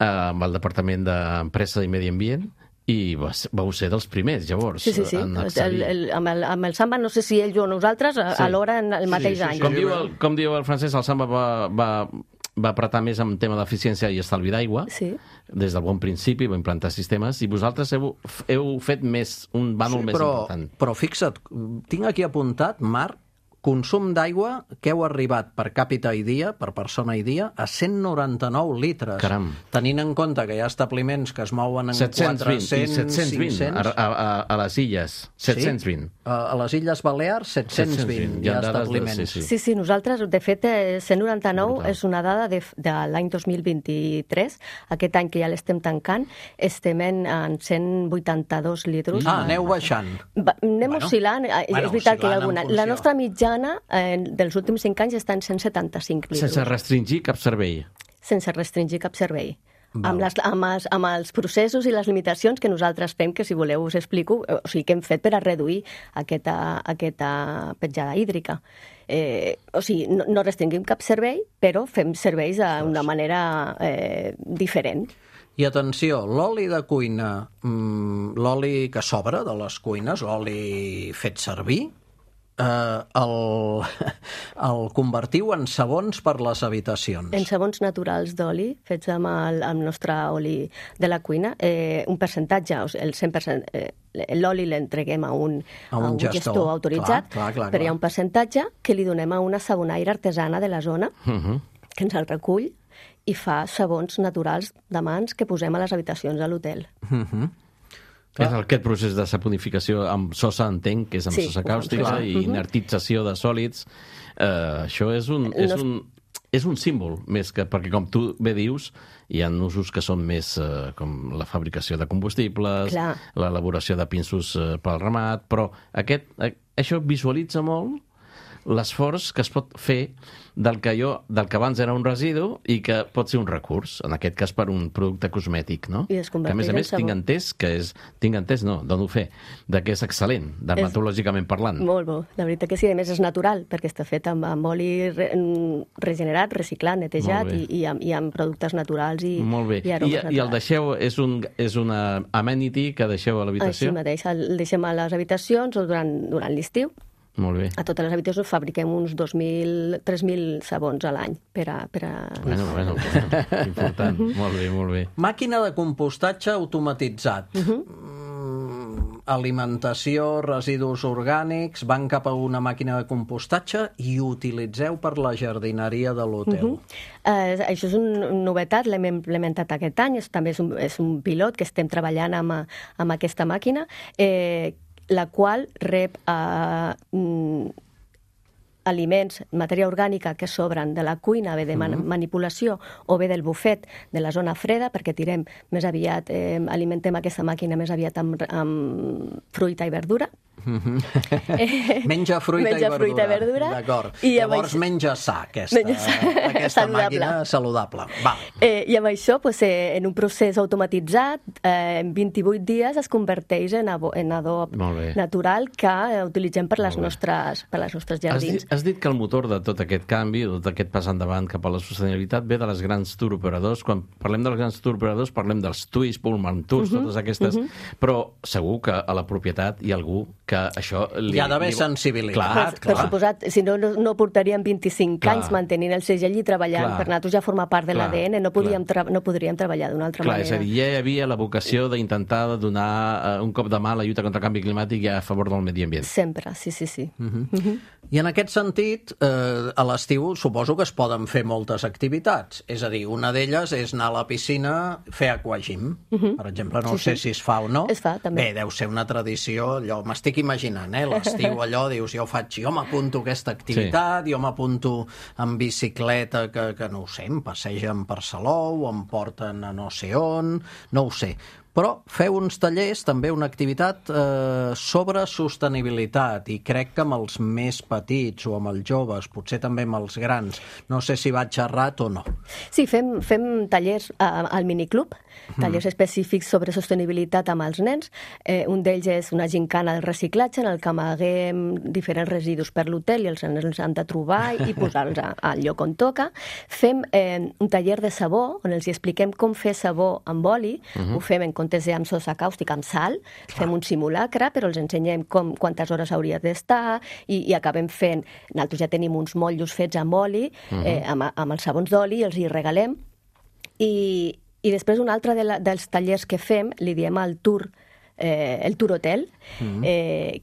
amb el Departament d'Empresa i Medi Ambient, i vau ser dels primers, llavors. Sí. Amb el Samba, no sé si ells o nosaltres, alhora en el mateix any. Com diu el Francesc, el Samba va apretar més en tema d'eficiència i estalvi d'aigua, des del bon principi, va implantar sistemes, i vosaltres heu fet un bànol més important. Però fixa't, tinc aquí apuntat, Marc, consum d'aigua que heu arribat per càpita i dia, per persona i dia, a 199 litres. Caram. Tenint en compte que hi ha establiments que es mouen en 400, 500... A les illes, 720. A les Illes Balears, 720 hi ha establiments. Sí, nosaltres, de fet, 199 és una dada de l'any 2023. Aquest any que ja l'estem tancant, estem en 182 litres. Aneu baixant. Anem oscil·lant. És veritat que hi ha alguna. La nostra mitjana dels últims 5 anys està en 175 litres. Sense restringir cap servei. Sense restringir cap servei. Amb els processos i les limitacions que nosaltres fem, que si voleu us explico, o sigui, que hem fet per a reduir aquesta petjada hídrica. O sigui, no restringim cap servei, però fem serveis d'una manera diferent. I atenció, l'oli de cuina, l'oli que sobra de les cuines, l'oli fet servir, el convertiu en sabons per les habitacions. En sabons naturals d'oli, fets amb el nostre oli de la cuina. Un percentatge, el 100%, l'oli l'entreguem a un gestor autoritzat, però hi ha un percentatge que li donem a una sabonaire artesana de la zona, que ens el recull i fa sabons naturals de mans que posem a les habitacions de l'hotel. Aquest procés de saponificació amb sosa, entenc, que és amb sosa càustica i inertització de sòlids, això és un símbol, més que perquè, com tu bé dius, hi ha usos que són més com la fabricació de combustibles, l'elaboració de pinsos pel ramat, però això visualitza molt l'esforç que es pot fer del que abans era un residu i que pot ser un recurs, en aquest cas per un producte cosmètic, no? Que a més tinc entès, dono fe, que és excel·lent, dermatològicament parlant. Molt bo, la veritat que sí, a més és natural, perquè està fet amb oli regenerat, reciclat, netejat i amb productes naturals i aromes naturals. I el deixeu, és una amenity que deixeu a l'habitació? Així mateix, el deixem a les habitacions o durant l'estiu. Molt bé. A totes les habitacions fabriquem uns 2.000, 3.000 sabons a l'any per a... Bueno, important. Molt bé. Màquina de compostatge automatitzat. Alimentació, residus orgànics, van cap a una màquina de compostatge i utilitzeu per la jardineria de l'hotel. Això és una novetat, l'hem implementat aquest any, també és un pilot que estem treballant amb aquesta màquina, la qual rep aliments, matèria orgànica que sobren de la cuina, bé de manipulació o bé del bufet de la zona freda, perquè tirem més aviat, alimentem aquesta màquina més aviat amb fruita i verdura. Menja fruita i verdura. D'acord. Llavors menja sa, aquesta màquina saludable. I amb això, en un procés automatitzat, en 28 dies es converteix en adob natural que utilitzem per les nostres jardins. Has dit que el motor de tot aquest canvi, de tot aquest pas endavant cap a la sostenibilitat, ve de les grans tour operadors. Quan parlem dels grans tour operadors, parlem dels TUIs, Pullman Tours, totes aquestes, però segur que a la propietat hi ha algú que això... Hi ha d'haver sensibilitat. Per suposat, si no portaríem 25 anys mantenint el segell i treballant. Per nosaltres ja forma part de l'ADN, no podríem treballar d'una altra manera. És a dir, ja hi havia la vocació d'intentar donar un cop de mà a la lluita contra el canvi climàtic i a favor del medi ambient. Sempre, sí. I en aquest sentit, a l'estiu suposo que es poden fer moltes activitats. És a dir, una d'elles és anar a la piscina, fer aquagym. Per exemple, no sé si es fa o no. Es fa, també. Bé, deu ser una tradició, allò, m'estic imaginant, l'estiu allò, dius, jo m'apunto a aquesta activitat, jo m'apunto en bicicleta, que no ho sé, em passegen per Salou, em porten a no sé on, no ho sé. Però feu uns tallers, també una activitat sobre sostenibilitat, i crec que amb els més petits o amb els joves, potser també amb els grans. No sé si vaig errat o no. Sí, fem tallers al miniclub, tallers específics sobre sostenibilitat amb els nens. Un d'ells és una gincana del reciclatge, en el que amaguem diferents residus per l'hotel i els nens els han de trobar i posar-los al lloc on toca. Fem un taller de sabó, on els expliquem com fer sabó amb oli, ho fem en comptes amb sosa càustica, amb sal, fem un simulacre, però els ensenyem quantes hores hauria d'estar i acabem fent... Nosaltres ja tenim uns motllos fets amb oli, amb els sabons d'oli, els hi regalem. I després un altre dels tallers que fem, li diem el tour hotel,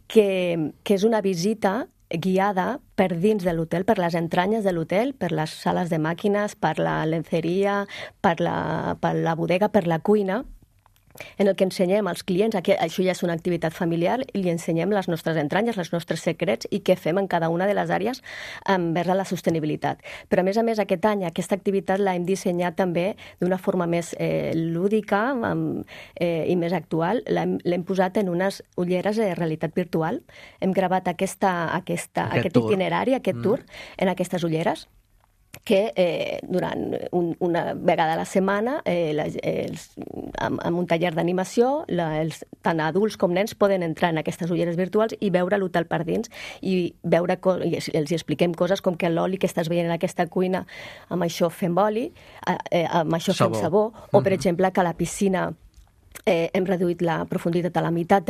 que és una visita guiada per dins de l'hotel, per les entranyes de l'hotel, per les sales de màquines, per la lenceria, per la bodega, per la cuina, en el que ensenyem als clients, això ja és una activitat familiar, i li ensenyem les nostres entranyes, els nostres secrets i què fem en cada una de les àrees envers la sostenibilitat. Però, a més, aquest any aquesta activitat l'hem dissenyat també d'una forma més lúdica i més actual. L'hem posat en unes ulleres de realitat virtual. Hem gravat aquest itinerari, aquest tour, en aquestes ulleres, que durant una vegada a la setmana, amb un taller d'animació, tant adults com nens poden entrar en aquestes ulleres virtuals i veure l'hotel per dins i els expliquem coses com que l'oli que estàs veient en aquesta cuina, amb això fem oli, amb això fem sabó, o per exemple que a la piscina hem reduït la profunditat a la meitat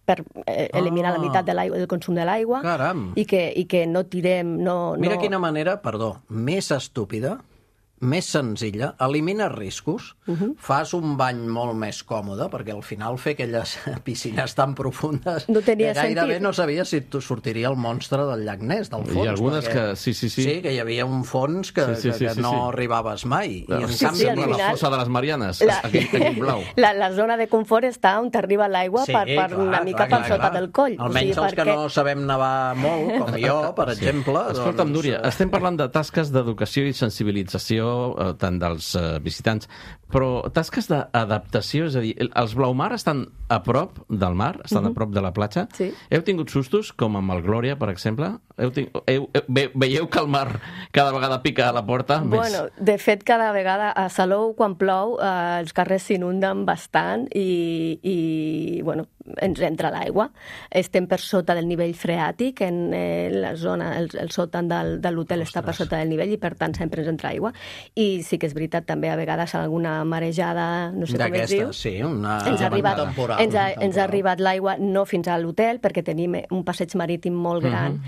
per eliminar la meitat del consum de l'aigua i que no tirem... Mira quina manera, més estúpida, més senzilla, elimina riscos, fas un bany molt més còmode, perquè al final fer aquelles piscines tan profundes gairebé no sabies si sortiria el monstre del llac Ness, del fons. Hi ha algunes que... Sí, que hi havia un fons que no arribaves mai. I en canvi, la fossa de les Marianes, aquell blau. La zona de confort està on t'arriba l'aigua una mica per sota del coll. Almenys els que no sabem nedar molt, com jo, per exemple. Escolta'm, Núria, estem parlant de tasques d'educació i sensibilització tant dels visitants, però tasques d'adaptació, és a dir, els Blaumar estan a prop del mar, estan a prop de la platja. Sí. Heu tingut sustos, com amb el Glòria, per exemple? Veieu que el mar cada vegada pica a la porta? Bueno, de fet, cada vegada a Salou, quan plou, els carrers s'inunden bastant i bueno, ens entra l'aigua. Estem per sota del nivell freàtic, en la zona, el sòtan de l'hotel està per sota del nivell i per tant sempre ens entra aigua. I sí que és veritat, també a vegades alguna marejada, no sé com es diu. Sí, una temporal. Ens ha arribat l'aigua no fins a l'hotel, perquè tenim un passeig marítim molt gran.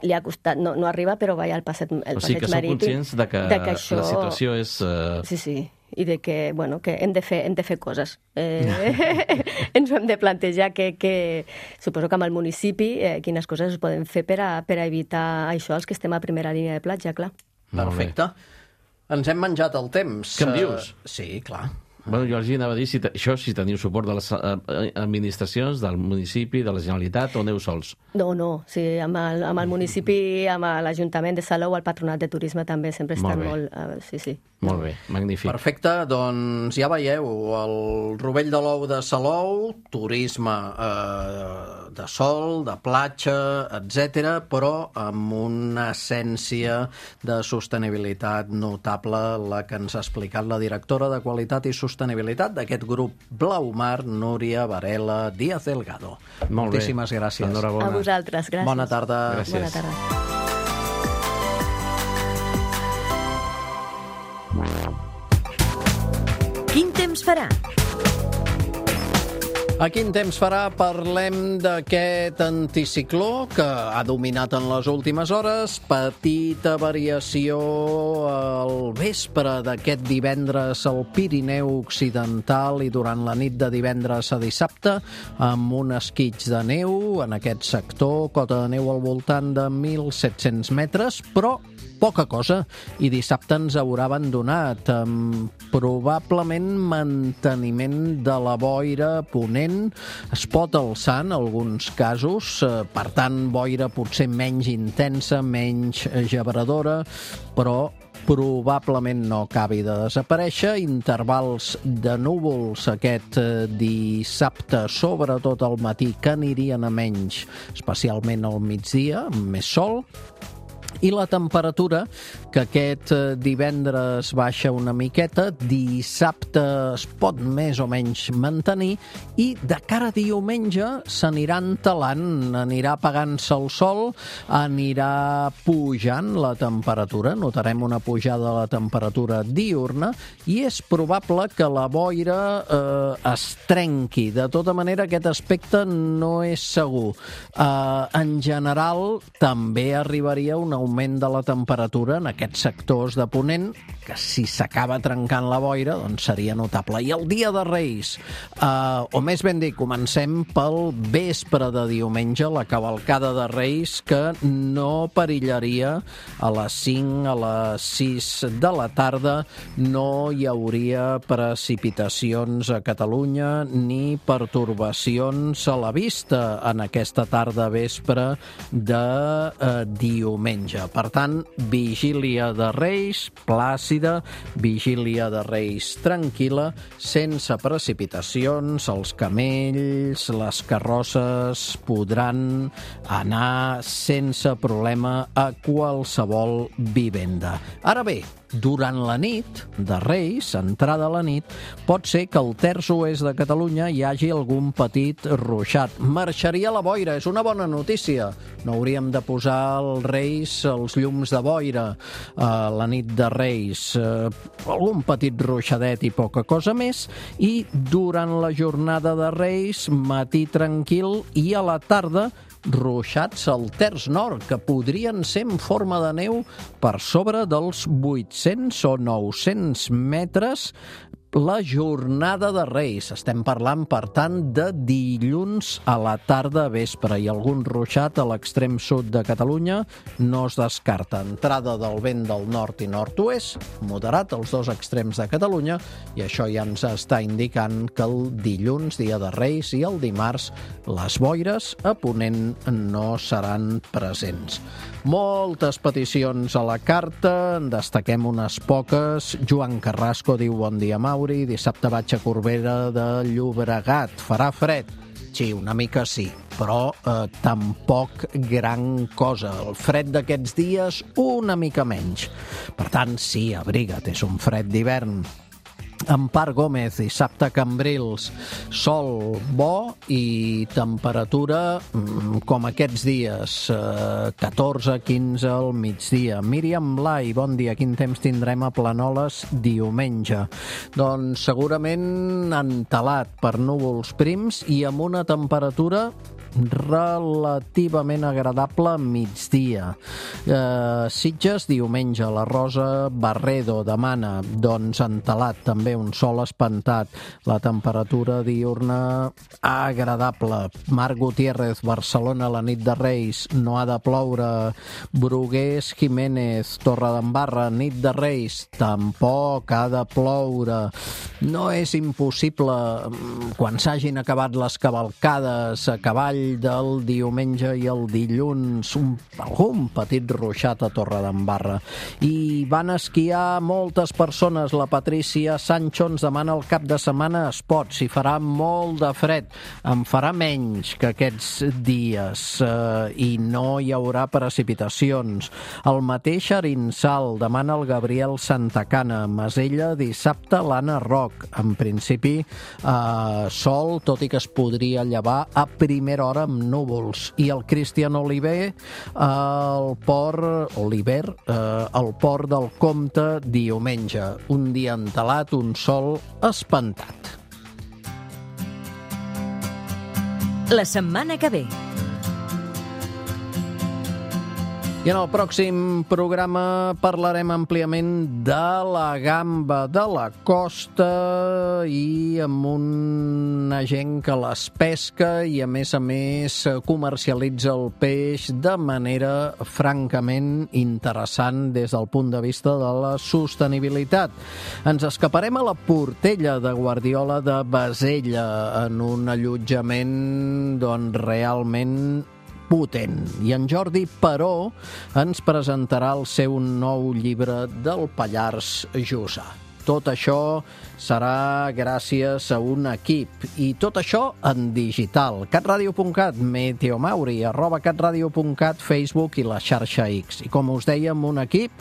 Li ha costat, no arriba, però va al passeig marítim. O sigui que sou conscients de que la situació és... Sí, i de que, bueno, que hem de fer coses. Ens ho hem de plantejar que suposo que amb el municipi quines coses es poden fer per a evitar això, els que estem a primera línia de platja, clar. Perfecte. Ens hem menjat el temps. Què em dius? Sí, clar. Bueno, jo els anava a dir si teniu suport de les administracions, del municipi, de la Generalitat, o aneu sols? No, sí, amb el municipi, amb l'Ajuntament de Salou, el Patronat de Turisme també sempre estan molt... Sí. Molt bé, magnífic. Perfecte, doncs ja veieu, el Rovell de l'Ou de Salou, turisme de sol, de platja, etc, però amb una essència de sostenibilitat notable, la que ens ha explicat la directora de Qualitat i Sostenibilitat d'aquest grup Blaumar, Núria Varela Díaz Delgado. Molt bé. Moltíssimes gràcies. Enhorabona. A vosaltres, gràcies. Bona tarda. Gràcies. Bona tarda. Quin temps farà? A quin temps farà? Parlem d'aquest anticicló que ha dominat en les últimes hores. Petita variació al vespre d'aquest divendres al Pirineu Occidental i durant la nit de divendres a dissabte amb un esquitx de neu en aquest sector, cota de neu al voltant de 1.700 metres, però poca cosa, i dissabte ens haurà abandonat amb probablement manteniment de la boira ponent. Es pot alçar en alguns casos, per tant, boira potser menys intensa, menys gebradora, però probablement no acabi de desaparèixer. Intervals de núvols aquest dissabte, sobretot al matí, que anirien a menys, especialment al migdia, amb més sol. I la temperatura, que aquest divendres baixa una miqueta, dissabte es pot més o menys mantenir, i de cara a diumenge s'anirà entelant, anirà apagant-se el sol, anirà pujant la temperatura, notarem una pujada de la temperatura diurna, i és probable que la boira es trenqui. De tota manera, aquest aspecte no és segur. En general, també arribaria un augment de la temperatura en aquests sectors de ponent, que si s'acaba trencant la boira, doncs seria notable. I el dia de Reis, o més ben dit, comencem pel vespre de diumenge, la cavalcada de Reis, que no perillaria a les 5, a les 6 de la tarda. No hi hauria precipitacions a Catalunya ni pertorbacions a la vista en aquesta tarda vespre de diumenge. Per tant, vigília de Reis plàcida, vigília de Reis tranquil·la, sense precipitacions. Els camells, les carrosses podran anar sense problema a qualsevol vivenda. Ara bé, durant la nit de Reis, entrada a la nit, pot ser que al terç oest de Catalunya hi hagi algun petit ruixat. Marxaria la boira, és una bona notícia. No hauríem de posar als Reis els llums de boira a la nit de Reis. Algun petit ruixadet i poca cosa més. I durant la jornada de Reis, matí tranquil, i a la tarda ruixats al terç nord, que podrien ser en forma de neu per sobre dels 800 o 900 metres la jornada de Reis. Estem parlant, per tant, de dilluns a la tarda vespre, i algun ruixat a l'extrem sud de Catalunya no es descarta. Entrada del vent del nord i nord-oest, moderat als dos extrems de Catalunya, i això ja ens està indicant que el dilluns, dia de Reis, i el dimarts, les boires a ponent no seran presents. Moltes peticions a la carta, en destaquem unes poques. Joan Carrasco diu: bon dia, Mauri, dissabte vaig a Corbera de Llobregat. Farà fred? Sí, una mica sí, però tampoc gran cosa. El fred d'aquests dies, una mica menys. Per tant, sí, abriga't, és un fred d'hivern. Empar Gómez, dissabte a Cambrils, sol bo i temperatura com aquests dies, 14-15 al migdia. Míriam Blai, bon dia, quin temps tindrem a Planoles diumenge? Doncs segurament entelat per núvols prims i amb una temperatura relativament agradable a migdia. Sitges, diumenge, la Rosa Barredo demana, doncs entelat, també un sol espantat, la temperatura diurna agradable. Marc Gutiérrez, Barcelona, la nit de Reis, no ha de ploure. Brugués Jiménez, Torredembarra, nit de Reis, tampoc ha de ploure. No és impossible, quan s'hagin acabat les cavalcades a cavall nivell del diumenge i el dilluns, algun petit ruixat a Torredembarra. I van esquiar moltes persones. La Patrícia Sancho ens demana el cap de setmana esport. Si farà molt de fred, en farà menys que aquests dies i no hi haurà precipitacions. El mateix Arinsal demana el Gabriel Santacana. Masella, dissabte, l'Anna Roc. En principi, sol, tot i que es podria llevar a primera hora amb núvols. I el Cristian Oliver, el port del Comte, diumenge. Un dia entelat, un sol espantat. La setmana que ve. I en el pròxim programa parlarem àmpliament de la gamba de la costa i amb una gent que les pesca i a més comercialitza el peix de manera francament interessant des del punt de vista de la sostenibilitat. Ens escaparem a la Portella de Guardiola de Bassella en un allotjament realment potent. I en Jordi Peró ens presentarà el seu nou llibre del Pallars Jussà. Tot això serà gràcies a un equip. I tot això en digital. catradio.cat, Meteomauri, @catradio.cat, Facebook i la xarxa X. I com us dèiem, un equip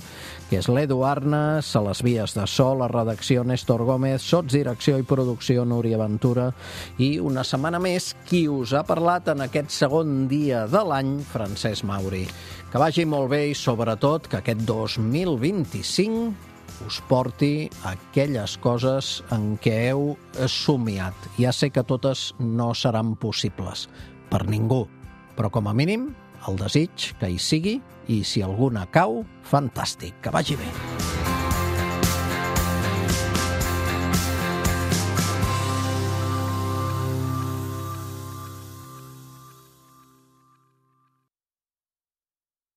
que és l'Edu Arnes, a les vies de so, la redacció Néstor Gómez, sotsdirecció i producció Núria Ventura, i una setmana més qui us ha parlat en aquest segon dia de l'any, Francesc Mauri. Que vagi molt bé i sobretot que aquest 2025 us porti aquelles coses en què heu somiat. Ja sé que totes no seran possibles per ningú, però com a mínim el desig que hi sigui, i si alguna cau, fantàstic. Que vagi bé.